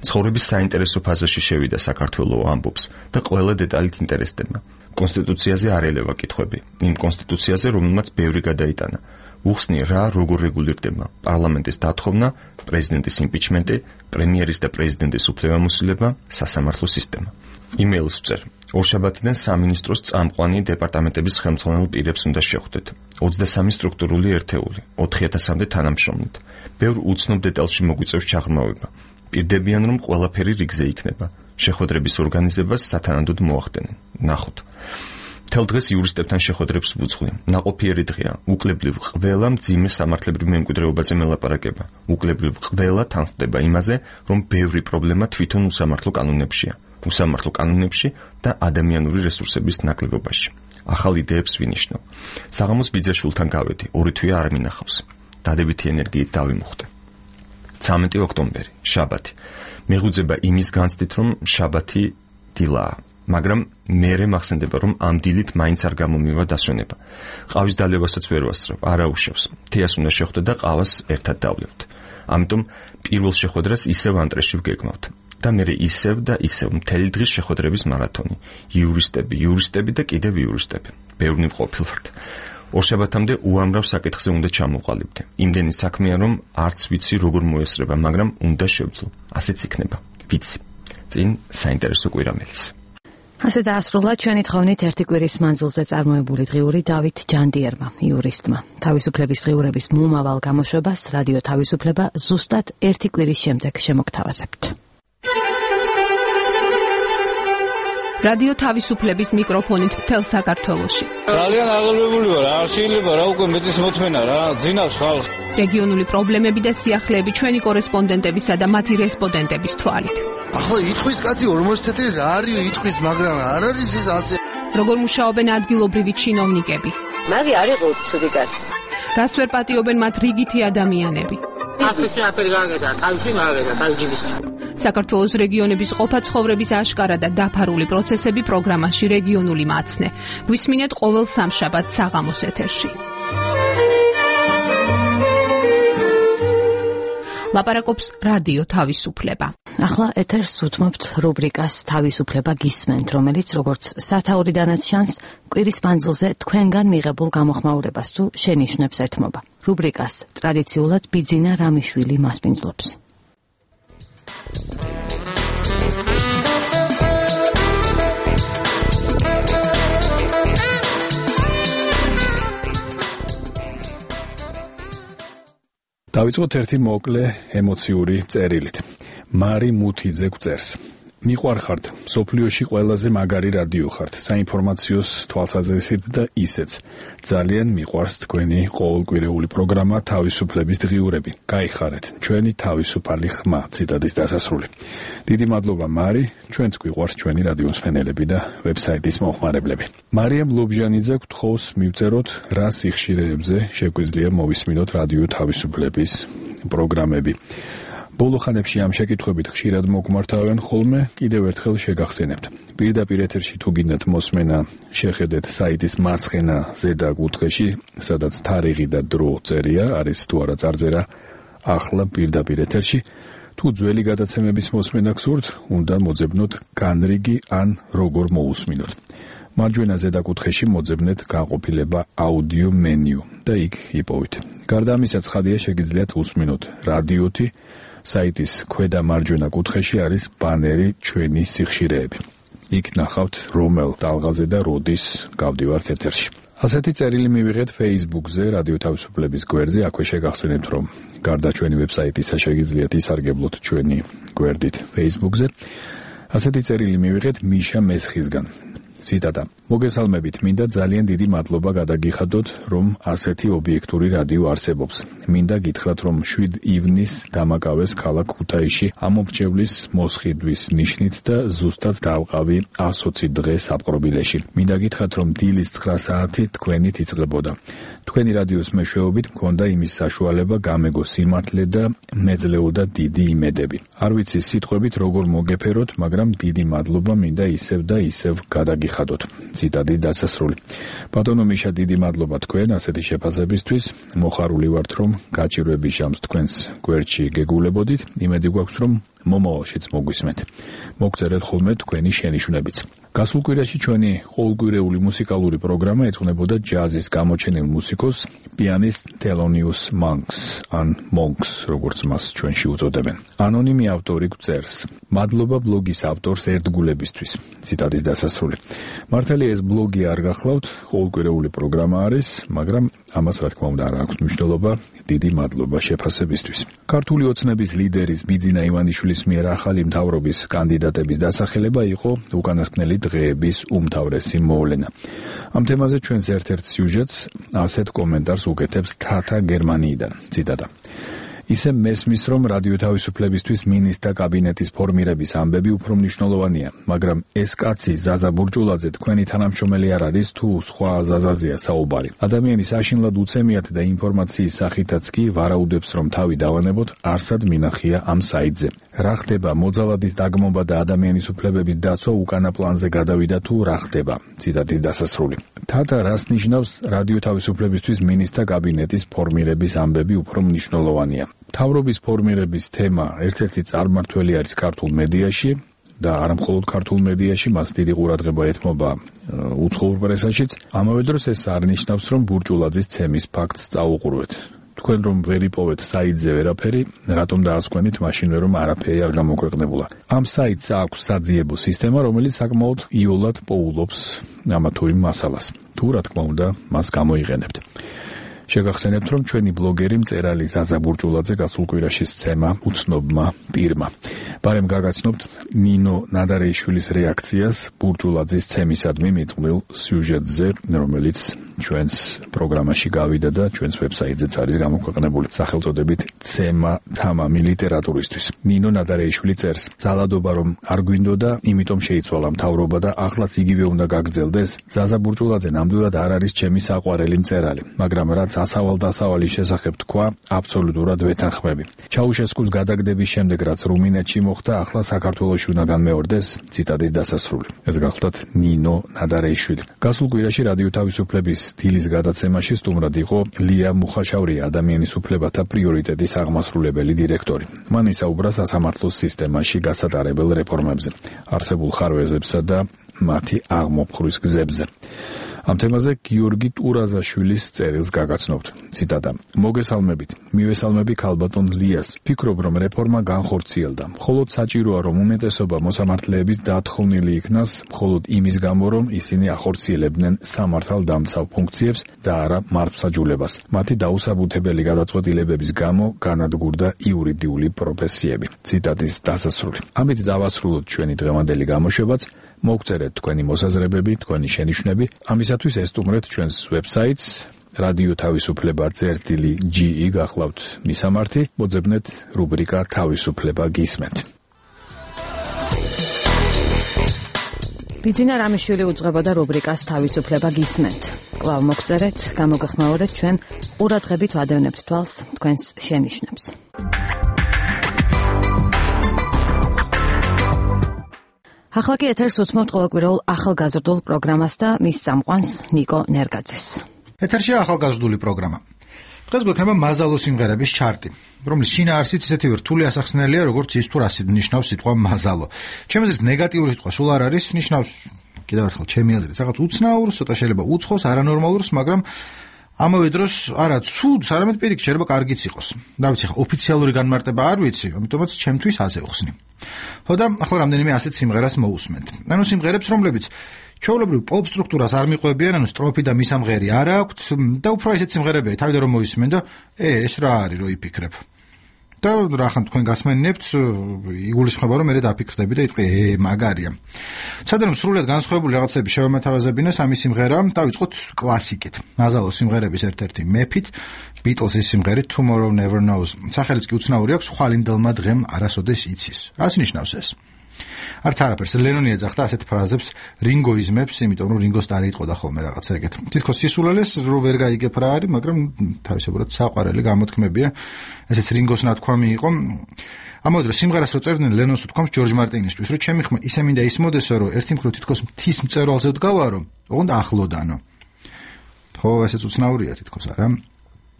ცხოვრების საინტერესო ფაზაში შევიდა საქართველო ამბობს და ყველა დეტალით ინტერესდება. კონსტიტუციაზე არ ელევა კითხვები, იმ კონსტიტუციაზე, რომელმაც ბევრი გადაიტანა. უხსნი რა როგორ რეგულირდება პარლამენტის დათხოვნა, პრეზიდენტის იმპიჩმენტი, პრემიერის და პრეზიდენტის უფლებამოსილება, სასამართლო სისტემა. იმეილს ვწერ. ორშაბათიდან სამინისტროს წამყვანი დეპარტამენტების ხელმძღვანელ პირებს უნდა შეხვდეთ. ოცდასამი სტრუქტურული ერთეული, ოთხი ათასამდე თანამშრომლით. ბევრ უცნობ დეტალში მოგვიწევს ჩაღრმავება. პირდებიან, რომ ყველაფერი რიგზე იქნება. შეხვედრების ორგანიზებას სათანადოდ მოახდენენ. ნახოთ. თელ დღეს იურისტებთან შეხვედრებს ვუძღვი. ნაყოფიერი დღეა. უკლებლივ ყველა მძიმე სამართლებრივ მემკვიდრეობაზე მელაპარაკება. უკლებლივ ყველა თანხმდება იმაზე, რომ ბევრი პრობლემა თვითონ უსამართლო კანონებშია. უსამართლო კანონებში და ადამიანური რესურსების ნაკლებობაში. ახალ იდეებს ვინიშნავ. საღამოს ბიძაშვილთან გავედი, ორი თვე არ მინახავს. დადებითი ენერგიით დავიმუხტე. ცამეტი ოქტომბერი, შაბათი. მეღუძება იმის განცდით, რომ შაბათი დილაა. მაგრამ მერე მახსენდება, რომ ამ დილით მაინც არ გამომივა დასვენება. ყავის დალებასაც ვერ ვასწრებ, არა უშავს. თეას უნდა შეხვდე და ყავას ერთად დავლევთ. ამიტომ პირველ შეხვედრას ისევ ანტრეში ვგეგმავთ. და მერე ისევ და ისევ მთელი დღის შეხვედრების მარათონი. იურისტები, იურისტები და კიდევ იურისტები. ბევრი მყოფილვართ. ორშაბათამდე უამრავ საკითხზე უნდა ჩამოყალიბდე. იმდენი საქმეა, რომ არც ვიცი როგორ მოესწრება, მაგრამ უნდა შევძლო. ასეც იქნება. ვიცი. წინ საინტერესო კვირამელის. ასე დაასრულა ჩვენი თხოვნით ერთი კვირის მანძილზე წარმოებული დღიური დავით ჯანდიერმა, იურისტმა. თავისუფლების დღიურების მომავალ გამოშვებას რადიო თავისუფლება ზუსტად ერთი კვირის შემდეგ შემოგთავაზებთ. რადიო თავისუფლების მიკროფონით მთელ საქართველოში. ძალიან აღელვებული ვარ, არ შეიძლება რა უკვე მეტის მოთმენა რა, ძინავს ხალხს. რეგიონული პრობლემები და სიახლეები ჩვენი კორესპონდენტებისა და მათი რესპონდენტების თვალით. ახლა იტყვის კაცი ორმოცი თეთრი რა არის იტყვის, მაგრამ არ არის ის ასე. როგორ მუშაობენ ადგილობრივი ჩინოვნიკები? მაგი არ იყო ცუდი კაცი. რას ვერ პატიობენ მათ რიგითი ადამიანები? ახლააფერი გაგედა, თავში მაგედა, თავჯიბის. საქართველოს რეგიონების ყოფა-ცხოვრების აშკარა და დაფარული პროცესები პროგრამაში რეგიონული მაცნე. გვისმინეთ ყოველ სამშაბათს საღამოს ეთერში. ლაპარაკობს რადიო თავისუფლება. ახლა ეთერს უთმობთ რუბრიკას თავისუფლება გისმენთ, რომელიც როგორც სათაურიდანაც ჩანს, კვირის მანძილზე თქვენგან მიღებულ გამოხმაურებას თუ შენიშვნებს ეთმობა. რუბრიკას ტრადიციულად ბიძინა რამიშვილი მასპინძლობს. დავიწყოთ ერთი მოკლე ემოციური წერილით. მარი მუთიძე გვწერს. მიყვარხართ, სოფლიოში ყველაზე მაგარი რადიო ხართ, საინფორმაციოს თვალსაზრისით და ისეც. ძალიან მიყვარს თქვენი ყოველკვირეული პროგრამა თავისუფლების დღიურები. გაიხარეთ, ჩვენი თავისუფალი ხმა, ციტატის დასასრული. დიდი მადლობა მარი, ჩვენც გვიყვარს ჩვენი რადიოს მსმენელები და ვებსაიტის მომხმარებლები. მარიამ ლობჟანიძე გთხოვს მივწეროთ, რა სიხშირეებზე შეგვიძლია მოვისმინოთ რადიო თავისუფლების პროგრამები. ბოლო ხანებში ამ შეკითხვებით ხშირად მოგმართავენ ხოლმე, კიდევ ერთხელ შეგახსენებთ. პირდაპირ ეთერში თუ გინდათ მოსმენა, შეხედეთ საიტის მარცხენა ზედა კუთხეში, სადაც თარიღი და დრო წერია, არის თუ არა წარწერა ახლა პირდაპირ ეთერში. თუ ძველი გადაცემების მოსმენა გსურთ, უნდა მოძებნოთ განრიგი ან როგორ მოусმინოთ. მარჯვენა ზედა კუთხეში მოძებნეთ განყოფილება აუდიო მენიუ და იქ იპოვით. გარდა ამისა, ცხადია შეგიძლიათ უსმინოთ რადიოთი. საიტის ქვედა მარჯვენა კუთხეში არის ბანერი ჩვენი სიხშირეები. იქ ნახავთ რომელ ტალღაზე და როდის გავდივართ ეთერში. ასეთი წერილი მივიღეთ Facebook-ზე, რადიო თავისუფლების გვერდზე, აქვე შეგახსენებთ, რომ გარდა ჩვენი ვებსაიტისა შეგიძლიათ ისარგებლოთ ჩვენი გვერდით Facebook-ზე. ასეთი წერილი მივიღეთ მიშა მესხისგან. ციტატა: მოგესალმებით, მინდა ძალიან დიდი მადლობა გადაგიხადოთ, რომ ასეთი ობიექტური რადიო არსებობს. მინდა გითხრათ, რომ შვიდ ივნის დამაკავეს ქალაქ ქუთაისში ამომრჩევლის მოსყიდვის ნიშნით და ზუსტად დავყავი ასოცი დღე საპყრობილეში. მინდა გითხრათ, რომ დილის ცხრა საათი თქვენით იწყებოდა. თქვენი რადიოს მეშვეობით მქონდა იმის საშუალება გამეგო სიმართლე და მეძლეოდა დიდი იმედები. არ ვიცი სიტყვებით როგორ მოგეფეროთ, მაგრამ დიდი მადლობა მინდა ისევ და ისევ გადაგიხადოთ. ციტატის დასასრული. ბატონო მიშა, დიდი მადლობა თქვენ ასეთი შეფასებისთვის. მოხარული ვართ, რომ გაჭირვების ჟამს თქვენს გვერდში გეგულებოდით. იმედი გვაქვს, რომ მომავალშიც მოგვისმენთ. მოგწერეთ ხოლმე თქვენი შენიშვნებიც. გასულ კვირაში ჩვენი ყოველკვირეული მუსიკალური პროგრამა ეძღვნებოდა ჯაზის გამოჩენილ მუსიკოს პიანისტ თელონიუს მონკს, ან მონკს, როგორც მას ჩვენში უწოდებენ. ანონიმი ავტორი გვწერს: მადლობა ბლოგის ავტორს ერთგულებისთვის. ციტატის დასასრული. მართალია ეს ბლოგი არ გახლავთ, ყოველკვირეული პროგრამა არის, მაგრამ ამას რა თქმა უნდა არ აქვს მნიშვნელობა. დიდი მადლობა შეფასებისთვის. ქართული ოცნების ლიდერის ბიძინა ივანიშვილის მიერ ახალი მთავრობის კანდიდატების დასახელება იყო უკანასკნელი დღეების უმთავრესი მოვლენა. ამ თემაზე ჩვენს ერთ-ერთ სიუჟეტს ასეთ კომენტარს უკეთებს თათა გერმანიიდან. ციტატა: ისე მესმის, რომ რადიო თავისუფლებისთვის მინისტრთა კაბინეტის ფორმირების ამბები უფრო მნიშვნელოვანია, მაგრამ ეს კაცი ზაზა ბურჯულაძე თქვენი თანამშრომელი არ არის თუ სხვა ზაზაზია საუბარი. ადამიანის აშინლად უცემიათ და ინფორმაციის სახითაც კი ვარაუდებს, რომ თავი დავანებოთ, არსად მინახია ამ საიტზე. რა ხდება მოძალადის დაგმობა და ადამიანის უფლებების დაცვა უკანა პლანზე გადავიდა თუ რა ხდება. ციტატის დასასრული. თათა რას ნიშნავს რადიო თავისუფლებისთვის მინისტრთა კაბინეტის ფორმირების ამბები უფრო მნიშვნელოვანია? მთავრობის ფორმირების თემა ერთ-ერთი წარმმართველი არის ქართულ მედიაში და არა მხოლოდ ქართულ მედიაში, მას დიდი ყურადღება ეთმობა უცხოურ პრესაშიც. ამავე დროს ეს არ ნიშნავს, რომ ბურჯულაძის ცემის ფაქტს წაუყურვეთ. თქვენ რომ ვერ იპოვეთ საიტზე ვერაფერი, რატომ დაასკვენით მაშინვე რომ არაფერი არ გამოქვეყნებულა. ამ საიტს აქვს საძიებო სისტემა, რომელიც საკმაოდ იოლად პოულობს ამა თუ იმ მასალას. თუ რა თქმა უნდა, მას გამოიყენებთ. შეგახსენებთ, რომ ჩვენი ბლოგერი მწერალი ზაზა ბურჯულაძე გასულ კვირაში სცემა უცნობმა პირმა. ბარემ გაგაცნობთ ნინო ნადარეიშვილის რეაქციას ბურჯულაძის ცემისადმი მიწყვილ სიუჟეტზე, რომელიც ჩვენს პროგრამაში გავიდა და ჩვენს ვებსაიტზეც არის გამოქვეყნებული სახელწოდებით ცემა თამამი ლიტერატურისთვის. ნინო ნადარეიშვილი წერს: ძალადობა რომ არ გვინდოდა, იმიტომ შეიცვალა მთავრობა და ახლაც იგივე უნდა გაგრძელდეს. ზაზა ბურჯულაძე ნამდვილად არ არის ჩემი საყვარელი მწერალი, მაგრამ რაც ასავალ-დასავალის შესახებ თქვა, აბსოლუტურად ვეთანხმები. ჩაუშესკუს გადაგდების შემდეგ, რაც რუმინეთში მოხდა, ახლა საქართველოში უნდა განმეორდეს. ციტატის დასასრული. ეს გახლდათ ნინო ნადარეიშვილი. გასულ კვირაში რადიო თავისუფლების დილის გადაცემაში სტუმრად იყო ლია მუხაშავრია, ადამიანის უფლებათა პრიორიტეტის აღმასრულებელი დირექტორი. მან ისაუბრა სასამართლოს სისტემაში გასატარებელ რეფორმებზე, არსებულ ხარვეზებსა და მათი აღმოფხვრვის გზებზე. ამ თემაზე გიორგი ტურაზაშვილის წერილს გაგაცნობთ. ციტატა: მოგესალმებით. მივესალმები ქალბატონ ლიას. ფიქრობ, რომ რეფორმა განხორციელდა. მხოლოდ საჭიროა, რომ უმეტესობა მოსამართლეების დათხოვნილი იქნას, მხოლოდ იმის გამო, რომ ისინი ახორციელებდნენ სამართალდამცავ ფუნქციებს და არა მართლმსაჯულებას. მათი დაუსაბუთებელი გადაწყვეტილებების გამო განადგურდა იურიდიული პროფესიები. ციტატის დასასრული. ამით დავასრულოთ ჩვენი დღევანდელი გამოშვებაც. მოგწერეთ თქვენი მოსაზრებები, თქვენი შენიშვნები. ამისათვის ესტუმრეთ ჩვენს ვებსაიტს რადიო თავისუფლება წერტილი ჯი ი გახლავთ მისამართი, მოძებნეთ რუბრიკა თავისუფლება გისმენთ. ბიძინა რამიშვილი უძღვებოდა რუბრიკას თავისუფლება გისმენთ. კვლავ მოგწერეთ, გამოგეხმაურეთ ჩვენ ყურადღებით ვადევნებთ თვალს თქვენს შენიშვნებს. ახლა კი ეთერს უსმენთ ყოველკვირეულ ახალგაზრდულ პროგრამას და მის წამყვანს ნიკო ნერგაძეს. ეთერშია ახალგაზრდული პროგრამა. დღეს გვექნება მაზალო სიმღერების ჩარტი, რომლის შინაარსიც ისეთი რთული ასახსნელია, როგორც ის თუ რას ნიშნავს სიტყვა მაზალო. ჩემი აზრით ნეგატიური სიტყვა სულ არ არის, ნიშნავს კიდევ ერთხელ ჩემი აზრით რაღაც უცნაურს, ცოტა შეიძლება უცხოს, არანორმალურს, მაგრამ ამავე დროს არა ცუდს, არამედ პირიქით შეიძლება კარგიც იყოს. რა ვიცი, ხა ოფიციალური განმარტება არ ვიცი, ამიტომაც ჩემთვის ასე ვხსნი. ხო და ახლა რამდენიმე ასეთ სიმღერას მოусმენთ. ანუ სიმღერებს, რომლებიც ჩვეულებრივ პოპ სტრუქტურას არ მიყვებიან, ანუ სტროფი და მისამღერი არ აქვთ და უფრო ესეთ სიმღერებია, თავიდან რომ მოისმენ და ე ეს რა არის, რო იფიქრებ. და რახან თქვენ გასმენინებთ, იგულისხმება რომ მე დაფიქრდები და იტყვი ე მაგარია. ცოტა რომ სრულად განსხვავებული რაღაცები შევამათავაზებინეს ამის სიმღერა, დავიწყოთ კლასიკით. მაზალოს სიმღერების ერთ-ერთი მეფით, Beatles-ის სიმღერით Tomorrow Never Knows. სახელიც კი უცნაური აქვს, ხვალინდელმა დღემ არასოდეს იცის. რას ნიშნავს ეს? არც არაფერს ლენონი ეძახდა ასეთ ფრაზებს რინგოიზმებს, იმიტომ რომ რინგოს და არ იტყოდა ხოლმე რაღაცა ეგეთ. თითქოს სისულელეს რო ვერ გაიგებ რა არის, მაგრამ თავისებურად საყვარელი გამოთქმებია. ესეც რინგოს ნათქვამი იყო. ამავე დროს სიმღერას რო წერდნენ ლენონს უთქვამს ჯორჯ მარტინისთვის, რომ ჩემი ხმა ისე მინდა ისმოდესო, რომ ერთი მხრივ თითქოს მთის მწერვალზე ვდგავარო, ოღონდ ახლოდანო. ხო, ესეც უცნაურია თითქოს არა?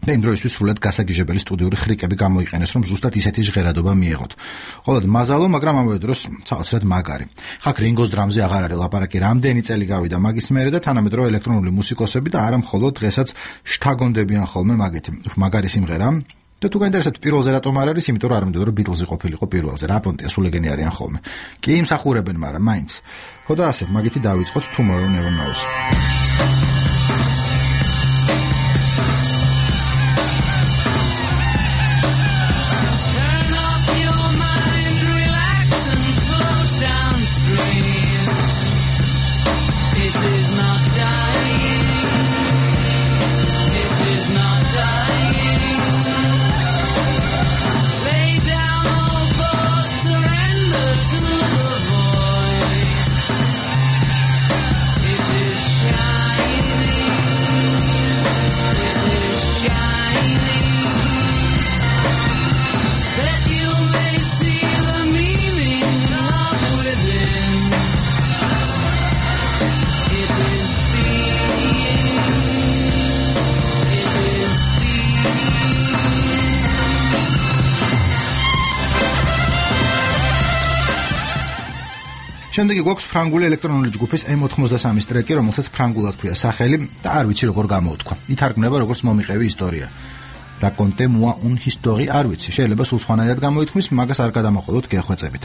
და იმ დროისთვის სრულად გასაგიჟებელი სტუდიური ხრიკები გამოიყენეს, რომ ზუსტად ისეთი ჟღერადობა მიეღოთ. ყოველად მაზალო, მაგრამ ამავე დროს საოცრად მაგარი. ხაქ რინგოს დრამზე აღარ არის ლაპარაკი, რამდენი წელი გავიდა მაგის მერე და თანამედროვე ელექტრონული მუსიკოსები და არა მხოლოდ დღესაც შთაგონდებიან ხოლმე მაგეთი. მაგარი სიმღერა. და თუ გაინტერესებთ პირველზე რატომ არ არის, იმიტომ რომ არ მინდოდა რომ Beatles-ი ყოფილიყო პირველზე. რა პონტია, სულ ეგენი არიან ხოლმე. კი იმსახურებენ, მაგრამ მაინც. ხო და ასე, მაგითი დავიწყოთ Tomorrow Never Knows. შემდეგი გვაქვს ფრანგული ელექტრონული ჯგუფის ემ ოთხმოცდასამის ტრეკი, რომელსაც ფრანგულად ქვია სახელი და არ ვიცი როგორ გამოუთქვა. ითარგმნება როგორც მომიყევი ისტორია. Racontez-moi une histoire, არ ვიცი, შეიძლება სულ სხვანაირად გამოითქმის, მაგას არ გადამოყოლოთ გეხვეწებით.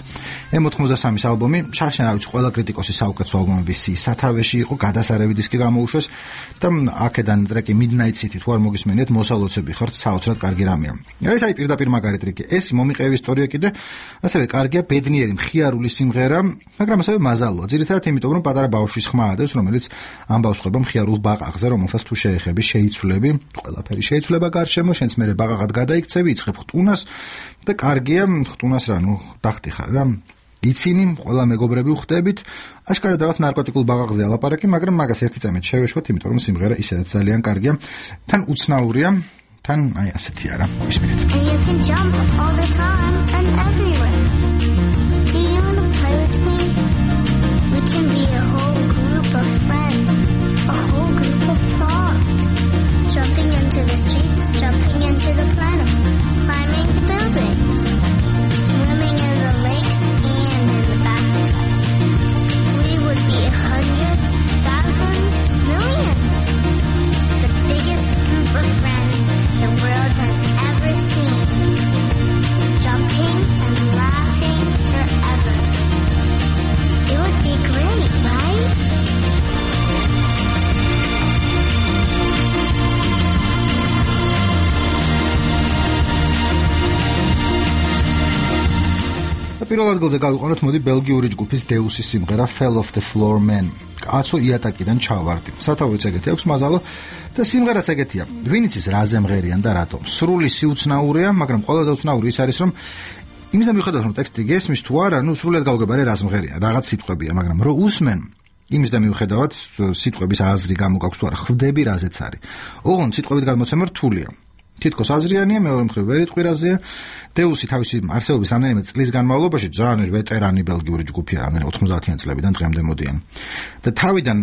ემ ოთხმოცდასამის ალბომი, შარშანავით ყველა კრიტიკოსის საუკეთესო ალბომების სიის სათავეში იყო, გადასარევი დისკი გამოუშვეს და აქედან ტრეკი Midnight City თუ არ მოგისმენიათ, მოსავლოცები ხართ, საოცრად კარგი რამეა. ეს აი პირდაპირ მაგარი ტრეკი. ეს მომიყევი ისტორია კიდე, ასევე კარგია ბედნიერი მხიარული სიმღერა, მაგრამ ასევე მაზალოა. ძირითადად იმიტომ, რომ პატარა ბავშვის ხმა ადევს, რომელიც ამბავს ხვება მხიარულ ბაყაყზე, რომელსაც თუ შეეხები, შეიცვლები, ყველაფერი შეიცვლება გარშემო, შენც მერე ბაყაყად გადაიქცევი, იწყებ ხტუნას და კარგია ხტუნას რა, ნუ დახტიხარ რა. იცინი, ყველა მეგობრები ვხდებით, აშკარად რაღაც ნარკოტიკულ ბაყაყზე ალაპარაკი, მაგრამ მაგას ერთი წამით შევეშვოთ, იმიტომ რომ სიმღერა ისედაც ძალიან კარგია, თან უცნაურია, თან აი ასეთი არა. ისმენთ. Jumping into the streets, jumping into the planet, climbing the buildings, swimming in the lakes and in the bathtubs. We would be hundreds, thousands, millions. The biggest group of friends the world has ever seen. Jumping and laughing forever. It would be great, right? პირველ ადგილზე გავიყვანოთ მოდი ბელგიური ჯგუფის დეუსის სიმღერა Fell Off the Floor Man. კაცო იატაკიდან ჩავარდი. სათაურიც ეგეთი აქვს მაზალო და სიმღერაც ეგეთია. ვინ იცის რა ზემღერიან და რატომ? სრული სიუცნაურია, მაგრამ ყველაზე უცნაური ის არის, რომ იმის მიუხედავად რომ ტექსტი გესმის თუ არა, ნუ სრულად გავგებარე რა ზმღერია, რაღაც სიტყვებია, მაგრამ რო უსმენ იმის და მიუხედავად სიტყვების აზრი გამოგაქვს თუ არა, ხვდები რაზეც არის. ოღონდ სიტყვებით გადმოცემა რთულია. თითქოს აზრიანია, მეორე მხრივ ვერ იტყვირაზეა. დეუსი თავისი არსებობის რამდენიმე წლის განმავლობაში ძალიან ვეტერანი ბელგიური ჯგუფია, რამდენი ოთხმოცდაათიან წლებიდან დღემდე მოდიან. და თავიდან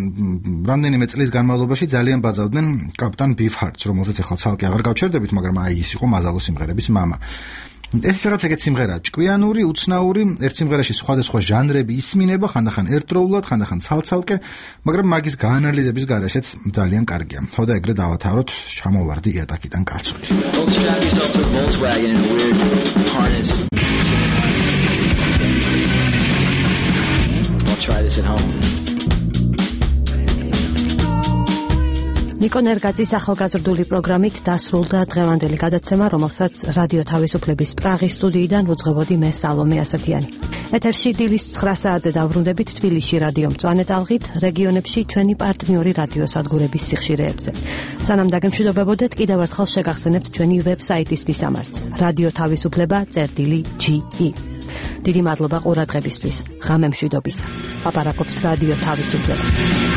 რამდენიმე წლის განმავლობაში ძალიან ბაძავდნენ კაპიტან ბიფჰარტს, რომელზეც ახლა ცალკე აღარ გავჩერდებით, მაგრამ აი ის იყო მაზალო სიმღერების მამა. ეს რაღაც ეგეთ სიმღერაა, ჭკვიანური, უცნაური, ერთ სიმღერაში სხვადასხვა ჟანრები ისმინება, ხანდახან ერთდროულად, ხანდახან ცალ-ცალკე, მაგრამ მაგის გაანალიზების გარეშეც ძალიან კარგია. ხო და ეგრე დავათავროთ, ჩამოვარდი იატაკიდან კაცული. ნიკო ნერგაძის ახალგაზრდული პროგრამით დასრულდა დღევანდელი გადაცემა, რომელსაც რადიო თავისუფლების პრაღის სტუდიიდან უძღვებოდი მე სალომე ასათიანი. ეთერში დილის ცხრა საათზე დავბრუნდებით თბილისში რადიო მწვანე ტალღით, რეგიონებში ჩვენი პარტნიორი რადიოსადგურების სიხშირეებზე. სანამ დაგემშვიდობებოდეთ, კიდევ ერთხელ შეგახსენებთ ჩვენი ვებსაიტის მისამართს: რადიო თავისუფლება წერტილი ჯი ი. დიდი მადლობა ყურადღებისთვის. ღამემშვიდობისა. ლაპარაკობს რადიო თავისუფლება.